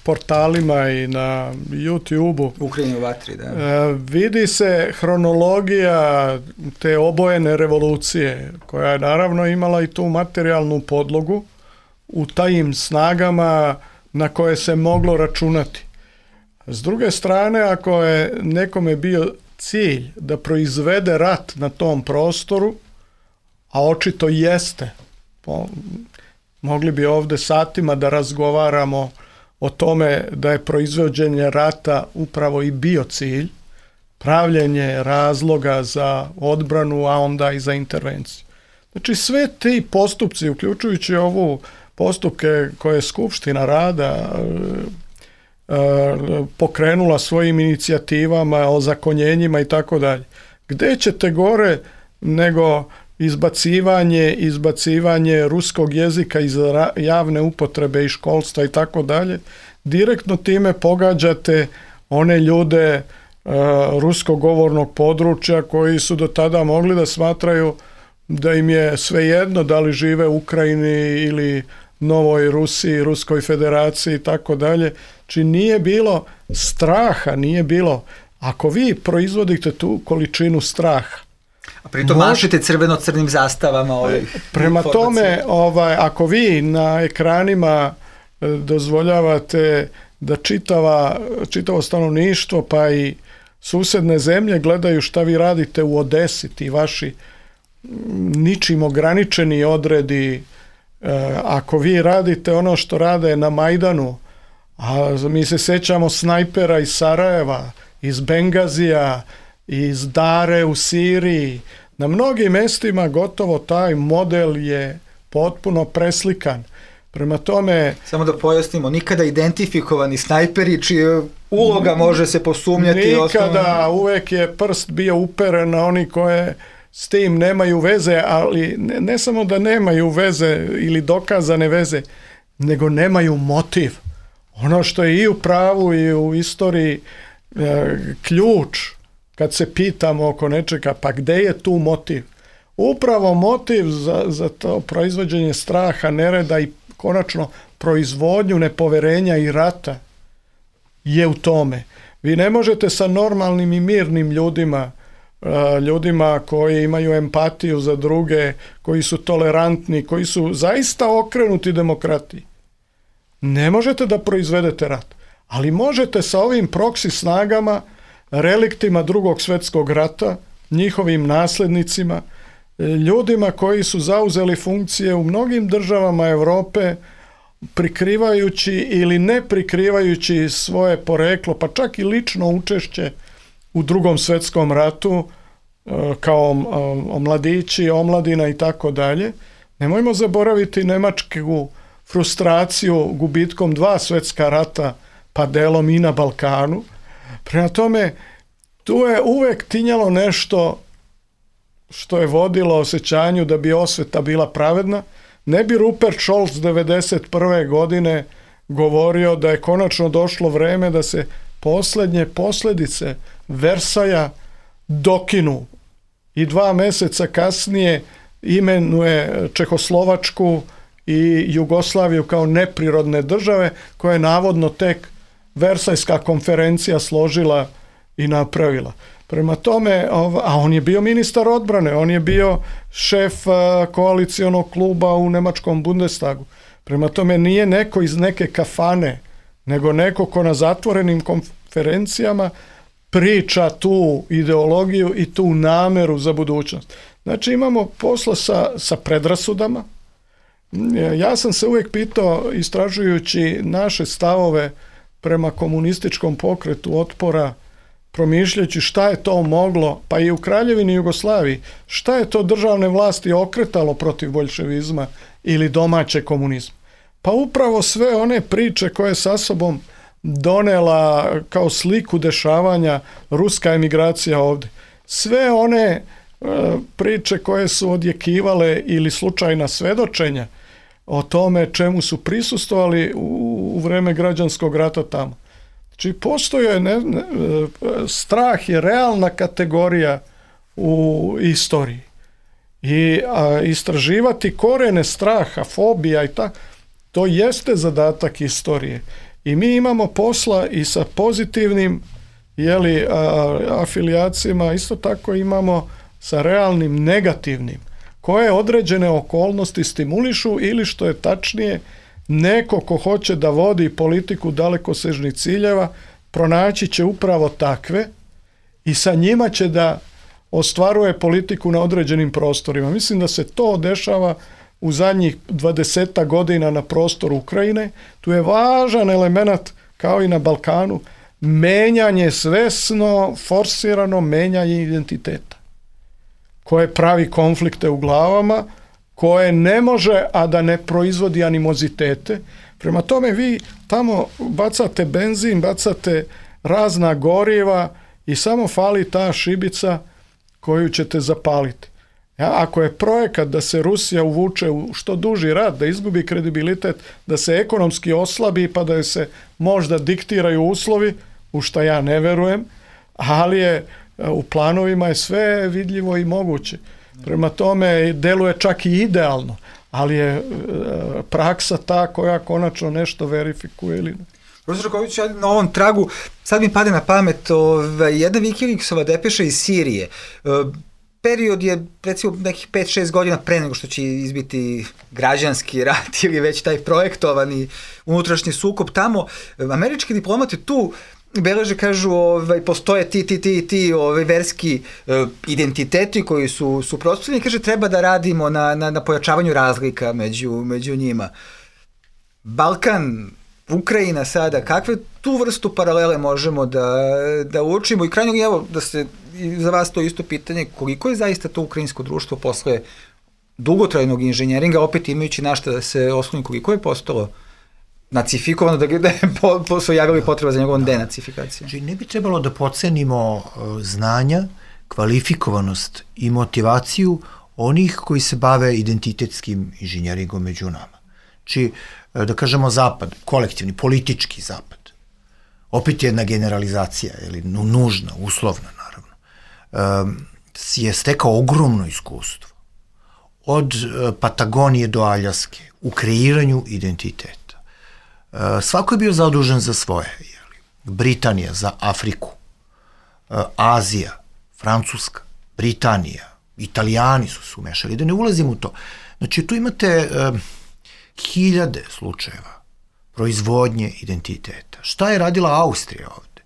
Speaker 4: portalima i na YouTube-u.
Speaker 3: Ukrajini u vatri, da.
Speaker 4: Vidi se hronologija te obojene revolucije, koja je naravno imala i tu materijalnu podlogu u tajim snagama na koje se moglo računati. S druge strane, ako je nekome bio cilj da proizvede rat na tom prostoru, a očito jeste, mogli bi ovde satima da razgovaramo o tome da je proizvođenje rata upravo i bio cilj, pravljenje razloga za odbranu, a onda i za intervenciju. Znači sve ti postupci, uključujući ovu postupke koje je Skupština rada pokrenula svojim inicijativama, ozakonjenjima i tako dalje. Gde ćete gore nego izbacivanje ruskog jezika iz javne upotrebe i školstva i tako dalje, direktno time pogađate one ljude ruskog govornog područja koji su do tada mogli da smatraju da im je svejedno da li žive u Ukrajini ili Novoj Rusiji, Ruskoj federaciji i tako dalje. Či nije bilo straha, nije bilo. Ako vi proizvodite tu količinu straha,
Speaker 3: a pritom mašite crveno-crnim zastavama.
Speaker 4: Prema tome, ako vi na ekranima dozvoljavate da čitavo stanovništvo pa i susedne zemlje gledaju šta vi radite u Odesi, ti vaši ničim ograničeni odredi, ako vi radite ono što rade na Majdanu, a mi se sećamo snajpera iz Sarajeva, iz Bengazija, iz Dare u Siriji, na mnogim mestima gotovo taj model je potpuno preslikan. Prema tome... Samo
Speaker 3: da pojasnimo, nikada identifikovani snajperi čija uloga može se posumnjati.
Speaker 4: Nikada, uvek je prst bio uperen na oni koje s tim nemaju veze, ali ne samo da nemaju veze ili dokazane veze, nego nemaju motiv. Ono što je i u pravu i u istoriji ključ, kad se pitamo oko nečega, pa gde je tu motiv? Upravo motiv za to proizvođenje straha, nereda i konačno proizvodnju nepoverenja i rata je u tome. Vi ne možete sa normalnim i mirnim ljudima koji imaju empatiju za druge, koji su tolerantni, koji su zaista okrenuti demokratiji. Ne možete da proizvedete rat, ali možete sa ovim proksi snagama, reliktima Drugog svjetskog rata, njihovim naslednicima, ljudima koji su zauzeli funkcije u mnogim državama Evrope, prikrivajući ili ne prikrivajući svoje poreklo, pa čak i lično učešće u Drugom svjetskom ratu, kao mladići, omladina i tako dalje. Nemojmo zaboraviti nemačku frustraciju gubitkom 2 svjetska rata, pa delom i na Balkanu. Prema tome, tu je uvek tinjalo nešto što je vodilo osjećanju da bi osveta bila pravedna. Ne bi Rupert Scholz 1991. godine govorio da je konačno došlo vreme da se posljednje posljedice Versaja dokinu i 2 meseca kasnije imenuje Čehoslovačku i Jugoslaviju kao neprirodne države koje je navodno tek Versajska konferencija složila i napravila. Prema tome, a on je bio ministar odbrane, on je bio šef koalicijonog kluba u nemačkom Bundestagu. Prema tome nije neko iz neke kafane, nego neko ko na zatvorenim konferencijama priča tu ideologiju i tu nameru za budućnost. Znači imamo posla sa predrasudama. Ja sam se uvijek pitao, istražujući naše stavove prema komunističkom pokretu otpora, promišljajući šta je to moglo, pa i u Kraljevini Jugoslaviji, šta je to državne vlasti okretalo protiv boljševizma ili domaće komunizma. Pa upravo sve one priče koje sa sobom donela kao sliku dešavanja ruska emigracija ovdje. Sve one priče koje su odjekivale ili slučajna svedočenja o tome čemu su prisustvovali u vreme građanskog rata tamo. Znači, postoje, strah je realna kategorija u istoriji. I istraživati korene straha, fobija i tako, to jeste zadatak istorije. I mi imamo posla i sa pozitivnim afilijacijama, isto tako imamo sa realnim negativnim, koje određene okolnosti stimulišu ili, što je tačnije, neko ko hoće da vodi politiku dalekosežnih ciljeva, pronaći će upravo takve i sa njima će da ostvaruje politiku na određenim prostorima. Mislim da se to dešava u zadnjih 20 godina na prostoru Ukrajine. Tu je važan element, kao i na Balkanu, menjanje, svesno, forsirano menjanje identiteta, koje pravi konflikte u glavama, koje ne može, a da ne proizvodi animozitete. Prema tome vi tamo bacate benzin, bacate razna goriva i samo fali ta šibica koju ćete zapaliti. Ako je projekat da se Rusija uvuče u što duži rat, da izgubi kredibilitet, da se ekonomski oslabi pa da se možda diktiraju uslovi, u što ja ne verujem, ali je u planovima je sve vidljivo i moguće. Prema tome deluje čak i idealno, ali je praksa ta koja konačno nešto verifikuje ili ne.
Speaker 3: Profesor Ković, na ovom tragu sad mi pade na pamet jedna Wikileaksova depeša iz Sirije. Period je recimo nekih 5-6 godina pre nego što će izbiti građanski rat ili već taj projektovani unutrašnji sukob tamo. Američki diplomati tu beleže, kažu, postoje ti verski identiteti koji su suprotstavljeni, kaže treba da radimo na pojačavanju razlika među njima. Balkan, Ukrajina sada, kakve tu vrstu paralele možemo da učimo? I krajnjeg, evo, da se za vas to isto pitanje, koliko je zaista to ukrajinsko društvo posle dugotrajnog inženjeringa, opet imajući na šta da se osloni, koliko je postalo nacifikovano, da su javili potreba za njegovom denacifikacijom?
Speaker 5: Znači, ne bi trebalo da podcenimo znanja, kvalifikovanost i motivaciju onih koji se bave identitetskim inženjeringom među nama. Znači, da kažemo zapad, kolektivni, politički zapad. Opet jedna generalizacija, nužna, uslovna, naravno. Je stekao ogromno iskustvo. Od Patagonije do Aljaske, u kreiranju identiteta. Svako je bio zadužen za svoje. Britanija za Afriku, Azija, Francuska, Britanija, Italijani su se umešali, da ne ulazim u to. Znači, tu imate hiljade slučajeva proizvodnje identiteta. Šta je radila Austrija ovde?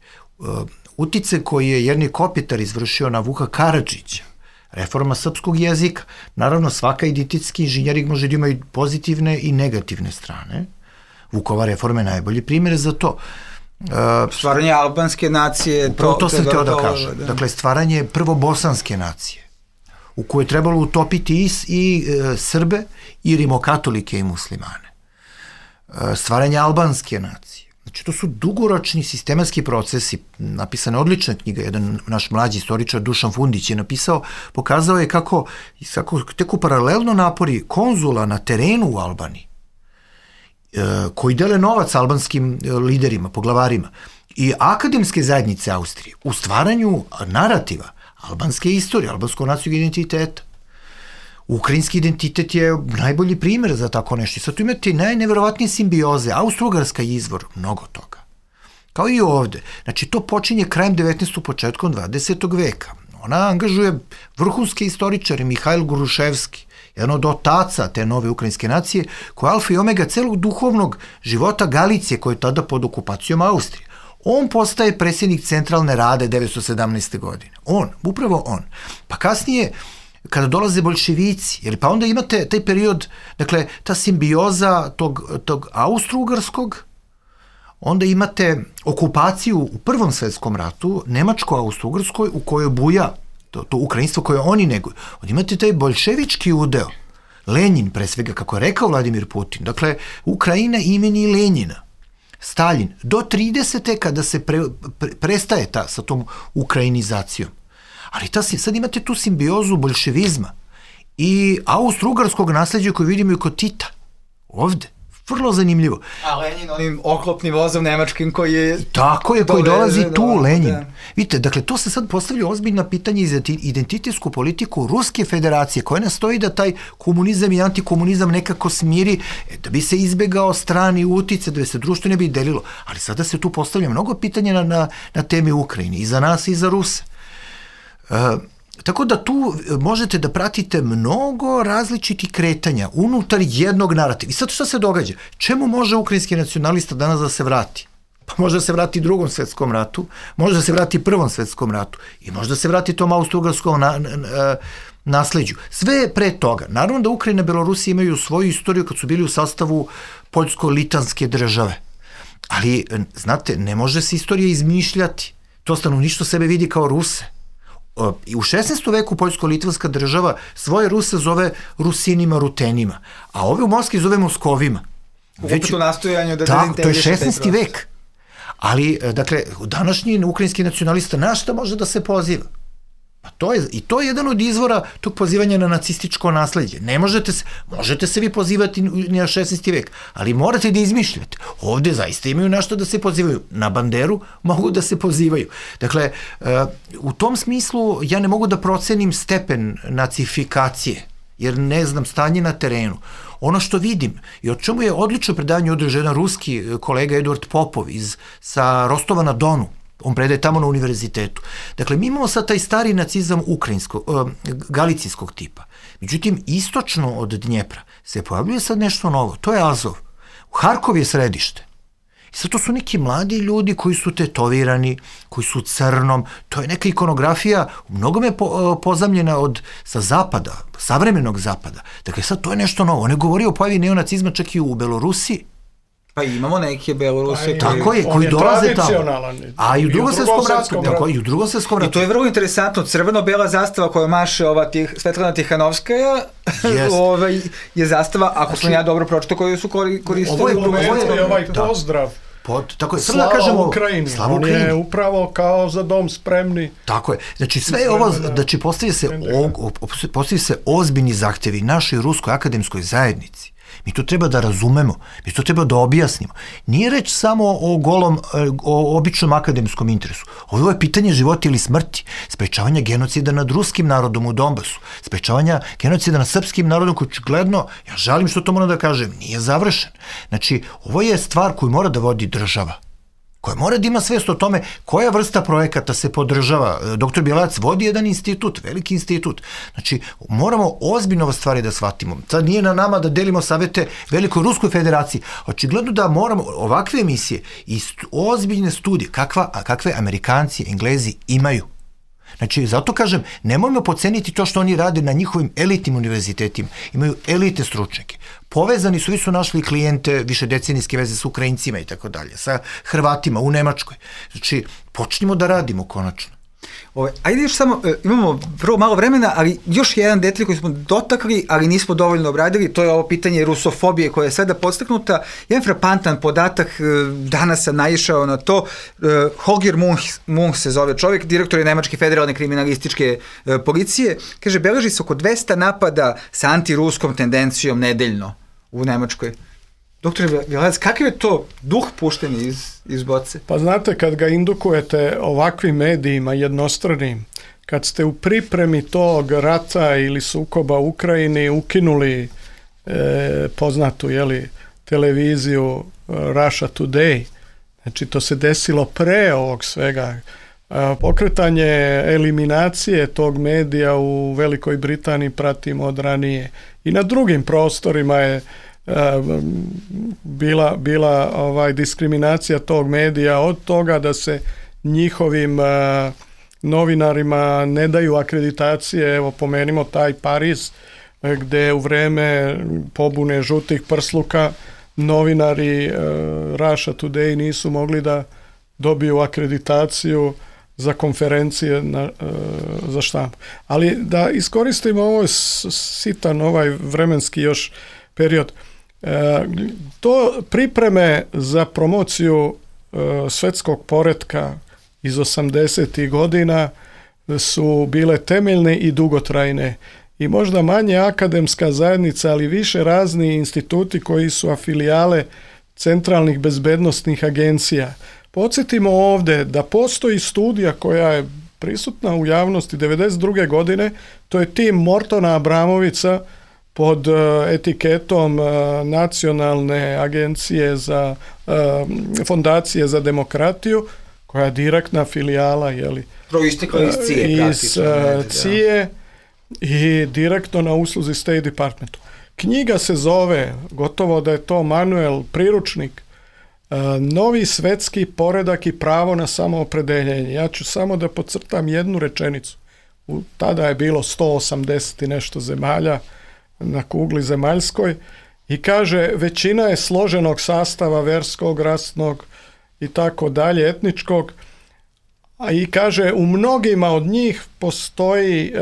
Speaker 5: Utice koji je Jernej Kopitar izvršio na Vuka Karadžića, reforma srpskog jezika. Naravno, svaka identitetski inženjering može da ima i pozitivne i negativne strane. Vukova reforma je najbolji primjer za to.
Speaker 3: Stvaranje albanske nacije.
Speaker 5: To sam teo da kažem. Dakle, stvaranje prvo bosanske nacije, u kojoj je trebalo utopiti i Srbe, i rimokatolike i muslimane. Stvaranje albanske nacije. Znači, to su dugoročni sistematski procesi. Napisana je odlična knjiga, jedan naš mlađi istoričar Dušan Fundić je napisao, pokazao je kako teku paralelno napori konzula na terenu u Albaniji, koji dele novac albanskim liderima, poglavarima, i akademske zajednice Austrije u stvaranju narativa albanske istorije, albanskog nacionalnog identiteta. Ukrajinski identitet je najbolji primjer za tako nešto. Sad tu imate najneverovatnije simbioze. Austro-Ugarska je izvor mnogo toga. Kao i ovde. Znači, to počinje krajem 19. početkom 20. veka. Ona angažuje vrhunske istoričare, Mihajl Gruševski, jedan od otaca te nove ukrajinske nacije, koja je alfa i omega celog duhovnog života Galicije, koja je tada pod okupacijom Austrije. On postaje predsjednik Centralne rade 1917. godine. Upravo on. Pa kasnije, kada dolaze boljševici, pa onda imate taj period, dakle, ta simbioza tog austro-ugarskog, onda imate okupaciju u Prvom svetskom ratu, Nemačko-Austro-Ugrskoj, u kojoj buja to ukrajinstvo koje oni neguju. Onda imate taj bolševički udeo, Lenin pre svega, kako je rekao Vladimir Putin, dakle, Ukrajina imeni Lenjina, Stalin, do 30. kada se prestaje sa tom ukrajinizacijom. Ali sad imate tu simbiozu bolševizma i austro-ugarskog nasleđa koju vidimo i kod Tita, ovde. Vrlo zanimljivo.
Speaker 3: A Lenin onim oklopnim vozom nemačkim koji je...
Speaker 5: Tako je, koji dolazi tu, Lenin. Vidite, dakle, to se sad postavlja ozbiljna pitanja za identitetsku politiku Ruske federacije, koja nastoji da taj komunizam i antikomunizam nekako smiri, da bi se izbegao strani utice, da bi se društvo ne bi delilo. Ali sada se tu postavlja mnogo pitanja na temi Ukrajine, i za nas i za Ruse. Tako da tu možete da pratite mnogo različitih kretanja unutar jednog narativa. I sad šta se događa? Čemu može ukrajinski nacionalista danas da se vrati? Pa može da se vrati Drugom svetskom ratu, može da se vrati Prvom svetskom ratu i može da se vrati tom austro-ugarskom nasleđu. Sve pre toga. Naravno da Ukrajina i Belorusija imaju svoju istoriju kad su bili u sastavu poljsko-litanske države. Ali, znate, ne može se istorija izmišljati. To stanovništvo sebe vidi kao Ruse. I u 16. veku poljsko-litvanska država svoje Ruse zove Rusinima, Rutenima, a ove u Moskvi zove Moskovima.
Speaker 3: Opet u nastojanju da
Speaker 5: dezintegriše taj proces. To je 16. vek. Ali, dakle, današnji ukrajinski nacionalista na šta može da se poziva? I to je jedan od izvora tog pozivanja na nacističko nasleđe. Možete se vi pozivati na 16. vek, ali morate da izmišljate. Ovde zaista imaju na što da se pozivaju. Na Banderu mogu da se pozivaju. Dakle, u tom smislu ja ne mogu da procenim stepen nacifikacije, jer ne znam stanje na terenu. Ono što vidim i o čemu je odlično predavanje održao jedan ruski kolega Eduard Popov sa Rostova na Donu, on predaje tamo na univerzitetu. Dakle, mi imamo sad taj stari nacizam galicijskog tipa. Međutim, istočno od Dnjepra se pojavljuje sad nešto novo. To je Azov. Harkov je središte. I sad to su neki mladi ljudi koji su tetovirani, koji su crnom. To je neka ikonografija u mnogome pozamljena sa zapada, savremenog zapada. Dakle, sad to je nešto novo. On je govorio o pojavi neonacizma čak i u Belorusiji.
Speaker 3: Pa imamo neke Beloruse
Speaker 5: koji dolaze tamo. A i u Drugom svetskom ratu.
Speaker 3: I to je vrlo interesantno. Crveno-bela zastava koja maše Svetlana Tihanovskaja je zastava, ako sam ja dobro pročito, koju su koristili.
Speaker 4: Ovo je ovaj pozdrav. Slava Ukrajini. On je upravo kao za dom spremni.
Speaker 5: Tako je. Znači sve ovo, znači postavljaju se ozbiljni zahtevi našoj ruskoj akademskoj zajednici. Mi to treba da razumemo, mi to treba da objasnimo. Nije reč samo o običnom akademskom interesu. Ovo je pitanje života ili smrti, sprečavanja genocida nad ruskim narodom u Donbasu, sprečavanja genocida nad srpskim narodom koji očigledno, ja žalim što to moram da kažem, nije završen. Znači, ovo je stvar koju mora da vodi država, koja mora da ima svest o tome koja vrsta projekata se podržava. Doktor Bjelac vodi jedan institut, veliki institut. Znači, moramo ozbiljno stvari da shvatimo. Sad nije na nama da delimo savete Velikoj Ruskoj federaciji. Očigledno da moramo ovakve emisije i ozbiljne studije, kakve Amerikanci, Englezi imaju. Znači, zato kažem, nemojmo poceniti to što oni rade na njihovim elitnim univerzitetima. Imaju elite stručnjake. Povezani su, vi su našli klijente višedecenijske veze sa Ukrajincima i tako dalje, sa Hrvatima u Nemačkoj. Znači, počnimo da radimo konačno.
Speaker 3: Ajde još samo, imamo vrlo malo vremena, ali još jedan detalj koji smo dotakli, ali nismo dovoljno obradili, to je ovo pitanje rusofobije koja je sada podstaknuta. Jedan frapantan podatak, danas sam naišao na to, Holger Munch se zove čovjek, direktor je Nemačke federalne kriminalističke policije, kaže, beleži se oko 200 napada sa antiruskom tendencijom nedeljno u Nemačkoj. Doktor Bjelac, kakav je to duh pušten iz boce?
Speaker 4: Pa znate, kad ga indukujete ovakvim medijima jednostranim, kad ste u pripremi tog rata ili sukoba u Ukrajini ukinuli poznatu televiziju Russia Today, znači to se desilo pre ovog svega. Pokretanje eliminacije tog medija u Velikoj Britaniji pratimo od ranije. I na drugim prostorima je bila diskriminacija tog medija, od toga da se njihovim novinarima ne daju akreditacije. Evo, pomenimo taj Pariz, gde u vreme pobune žutih prsluka novinari Russia Today nisu mogli da dobiju akreditaciju za konferencije za štampu. Ali da iskoristimo ovo sitan ovaj vremenski još period. To pripreme za promociju svetskog poretka iz 80. godina su bile temeljne i dugotrajne i možda manje akademska zajednica, ali više razni instituti koji su afilijale centralnih bezbednosnih agencija. Podsjetimo ovdje da postoji studija koja je prisutna u javnosti 1992. godine, to je tim Mortona Abramovića pod etiketom Nacionalne agencije za fondacije za demokratiju, koja je direktna filijala
Speaker 3: proistekla iz CIA,
Speaker 4: iz CIA i direktno na usluzi State Departmentu. Knjiga se zove, gotovo da je to manuel, priručnik, Novi svetski poredak i pravo na samoopredeljenje. Ja ću samo da podcrtam jednu rečenicu. Tada je bilo 180 i nešto zemalja na kugli zemaljskoj i kaže većina je složenog sastava verskog, rasnog i tako dalje, etničkog, i kaže u mnogima od njih postoje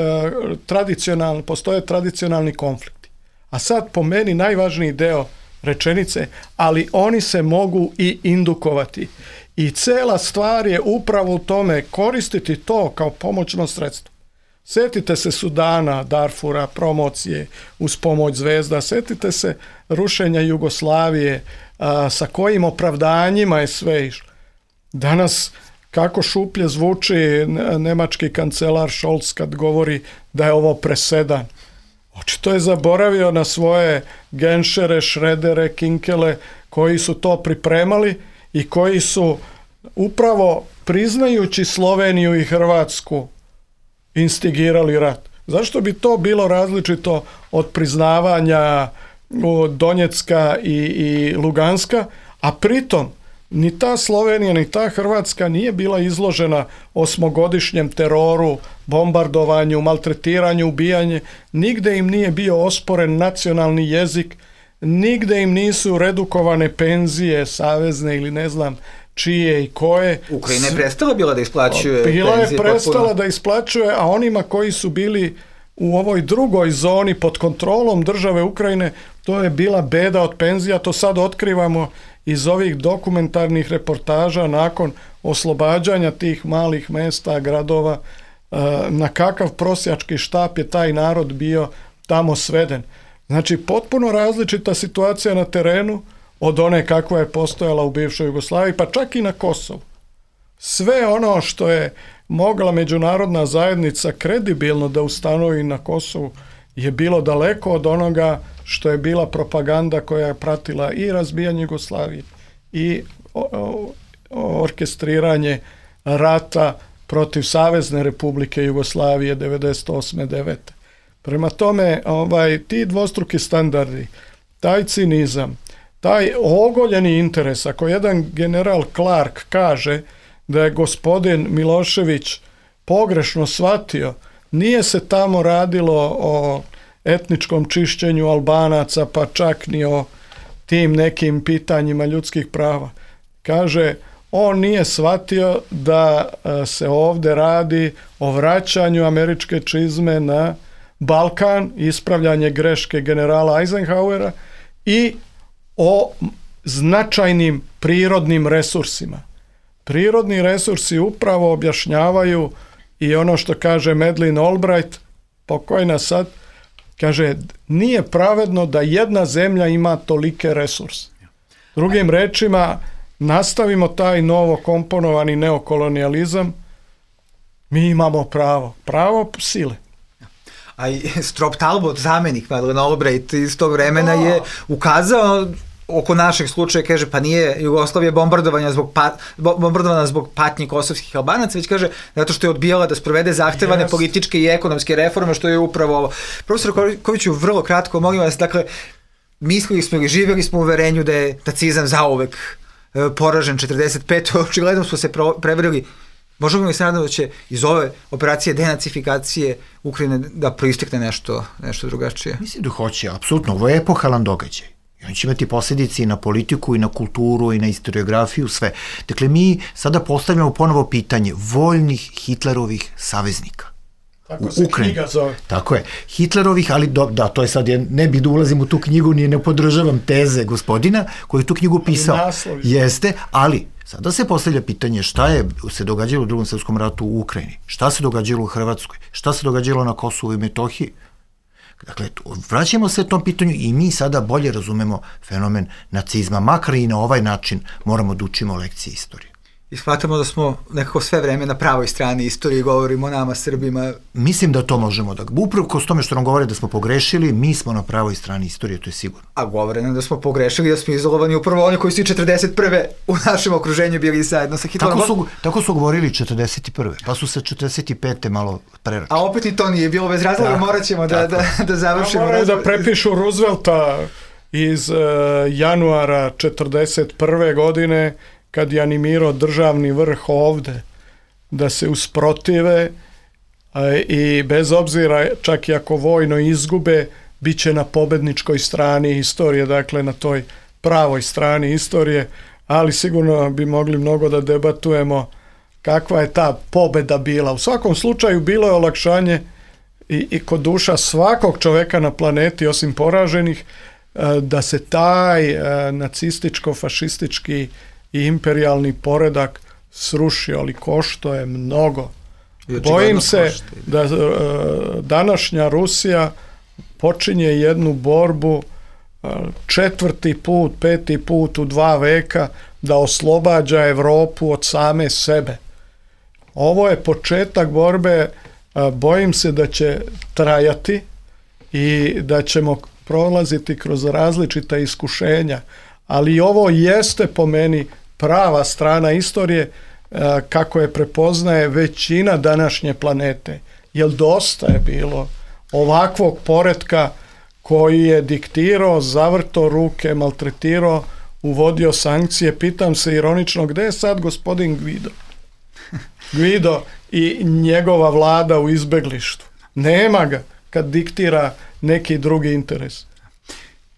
Speaker 4: tradicionalni konflikti. A sad po meni najvažniji deo rečenice, ali oni se mogu i indukovati. I cela stvar je upravo u tome koristiti to kao pomoćno sredstvo. Sjetite se Sudana, Darfura, promocije uz pomoć zvezda, sjetite se rušenja Jugoslavije, sa kojim opravdanjima je sve išlo. Danas kako šuplje zvuči nemački kancelar Scholz kad govori da je ovo presedan. Očito je zaboravio na svoje Genšere, Šredere, Kinkele koji su to pripremali i koji su upravo priznajući Sloveniju i Hrvatsku instigirali rat. Zašto bi to bilo različito od priznavanja Donjecka i Luganska, a pritom ni ta Slovenija ni ta Hrvatska nije bila izložena osmogodišnjem teroru, bombardovanju, maltretiranju, ubijanje. Nigde im nije bio osporen nacionalni jezik, nigde im nisu redukovane penzije, savezne ili ne znam čije i koje.
Speaker 3: Ukrajina je prestala bila da isplaćuje
Speaker 4: Bila
Speaker 3: penzije.
Speaker 4: je prestala da isplaćuje, a onima koji su bili u ovoj drugoj zoni pod kontrolom države Ukrajine, to je bila beda od penzija. To sad otkrivamo iz ovih dokumentarnih reportaža nakon oslobađanja tih malih mesta, gradova, na kakav prosjački štap je taj narod bio tamo sveden. Znači, potpuno različita situacija na terenu od one kakva je postojala u bivšoj Jugoslaviji, pa čak i na Kosovu. Sve ono što je mogla međunarodna zajednica kredibilno da ustanovi na Kosovu je bilo daleko od onoga što je bila propaganda koja je pratila i razbijanje Jugoslavije i orkestriranje rata protiv Savezne Republike Jugoslavije 98-9. Prema tome, ti dvostruki standardi, taj cinizam, taj ogoljeni interes, ako jedan general Clark kaže da je gospodin Milošević pogrešno shvatio, nije se tamo radilo o etničkom čišćenju Albanaca, pa čak ni o tim nekim pitanjima ljudskih prava. Kaže, on nije shvatio da se ovdje radi o vraćanju američke čizme na Balkan, ispravljanje greške generala Eisenhowera i o značajnim prirodnim resursima. Prirodni resursi upravo objašnjavaju i ono što kaže Madeleine Albright, pokojna sad, kaže, nije pravedno da jedna zemlja ima tolike resurse. Drugim rečima, nastavimo taj novo komponovani neokolonijalizam, mi imamo pravo sile.
Speaker 3: A i Strop Talbot, zamenik Madeleine Albright iz tog vremena je ukazao oko našeg slučaja, kaže, pa nije Jugoslavija bombardovana zbog patnje kosovskih Albanaca, već kaže, zato što je odbijala da sprovede zahtevane političke i ekonomske reforme, što je upravo ovo. Profesor Koviću, vrlo kratko, molim vas, dakle, mislili smo ili živjeli smo u uverenju da je nacizam zauvek poražen 45. Očigledno smo se prevarili. Možemo li se nadati da će iz ove operacije denacifikacije Ukrajine da proistekne nešto drugačije?
Speaker 5: Mislim da hoće, apsolutno. Ovo je epohalan događaj. I on će imati posljedice i na politiku, i na kulturu, i na historiografiju, sve. Dakle, mi sada postavljamo ponovo pitanje voljnih Hitlerovih saveznika.
Speaker 4: Tako se knjiga zove.
Speaker 5: Tako je. Hitlerovih, ali da, to je sad, ne bih da ulazim u tu knjigu, ne podržavam teze gospodina koji je tu knjigu pisao. Jeste, ali sada se postavlja pitanje šta je se događalo u Drugom svjetskom ratu u Ukrajini, šta se događalo u Hrvatskoj, šta se događalo na Kosovu i Metohiji. Dakle, vraćamo se tom pitanju i mi sada bolje razumemo fenomen nacizma, makar i na ovaj način moramo da učimo lekcije istorije.
Speaker 3: I shvatamo da smo nekako sve vreme na pravoj strani istorije, govorimo o nama Srbima.
Speaker 5: Mislim da to možemo da... Upravo s tome što nam govore da smo pogrešili, mi smo na pravoj strani istorije, to je sigurno.
Speaker 3: A govore nam da smo pogrešili, da smo izolovani upravo oni koji su i 41. u našem okruženju bili zajedno sa Hitlerom.
Speaker 5: Tako su govorili 41. Pa su se 45. malo preračili.
Speaker 3: A opet i to nije bilo bez razloga, morat ćemo da završimo.
Speaker 4: Moraju da prepišu Roosevelta iz januara 41. godine, kad je animirao državni vrh ovde da se usprotive i bez obzira, čak i ako vojno izgube, bit će na pobedničkoj strani istorije, dakle na toj pravoj strani istorije, ali sigurno bi mogli mnogo da debatujemo kakva je ta pobeda bila. U svakom slučaju bilo je olakšanje i kod duša svakog čoveka na planeti, osim poraženih, da se taj nacističko-fašistički i imperijalni poredak srušio, ali košto je mnogo. Bojim se da današnja Rusija počinje jednu borbu 4. put, 5. put u 2 veka da oslobađa Evropu od same sebe. Ovo je početak borbe, bojim se da će trajati i da ćemo prolaziti kroz različita iskušenja, ali ovo jeste po meni prava strana istorije kako je prepoznaje većina današnje planete. Jer dosta je bilo ovakvog poretka koji je diktirao, zavrto ruke, maltretirao, uvodio sankcije. Pitam se ironično, gde je sad gospodin Guido? Guido i njegova vlada u izbeglištvu. Nema ga kad diktira neki drugi interes.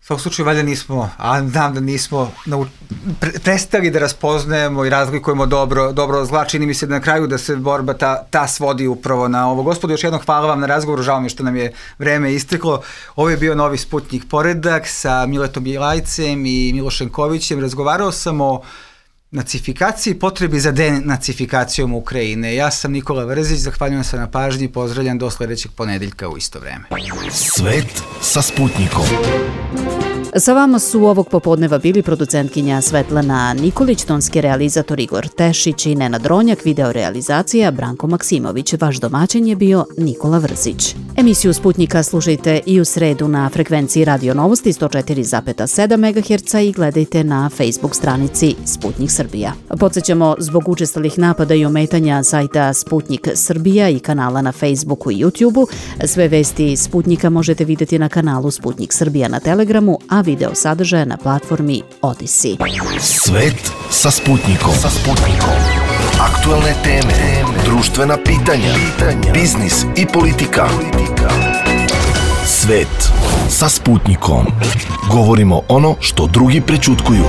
Speaker 3: U svakom slučaju, valjda nismo, a znam da nismo prestali da raspoznajemo i razlikujemo dobro zla. Čini mi se da na kraju da se borba ta svodi upravo na ovo. Gospodo, još jednom hvala vam na razgovoru, žao mi što nam je vreme isteklo. Ovo je bio novi Sputnik Poredak sa Miletom Bjelajcem i Milošem Kovićem. Razgovarao sam o nacifikaciji, potrebi za denacifikacijom Ukrajine. Ja sam Nikola Vrzić, zahvaljujem se na pažnji, pozdravljam do sledećeg ponedeljka u isto vreme.
Speaker 1: Svet sa Sputnikom.
Speaker 2: Sa vama su ovog popodneva bili producentkinja Svetlana Nikolić, tonski realizator Igor Tešić i Nenad Ronjak, videorealizacija Branko Maksimović. Vaš domaćin je bio Nikola Vrzić. Emisiju Sputnika slušajte i u sredu na frekvenciji Radio Novosti 104,7 MHz i gledajte na Facebook stranici Sputnik Srbija. Podsjećamo, zbog učestalih napada i ometanja sajta Sputnik Srbija i kanala na Facebooku i YouTubeu, sve vesti Sputnika možete vidjeti na kanalu Sputnik Srbija na Telegramu, a video sadržaja na platformi Odyssey.
Speaker 1: Svet sa Sputnikom. Aktualne teme, društvena pitanja, biznis i politika. Svet sa Sputnikom. Govorimo ono što drugi prećutkuju.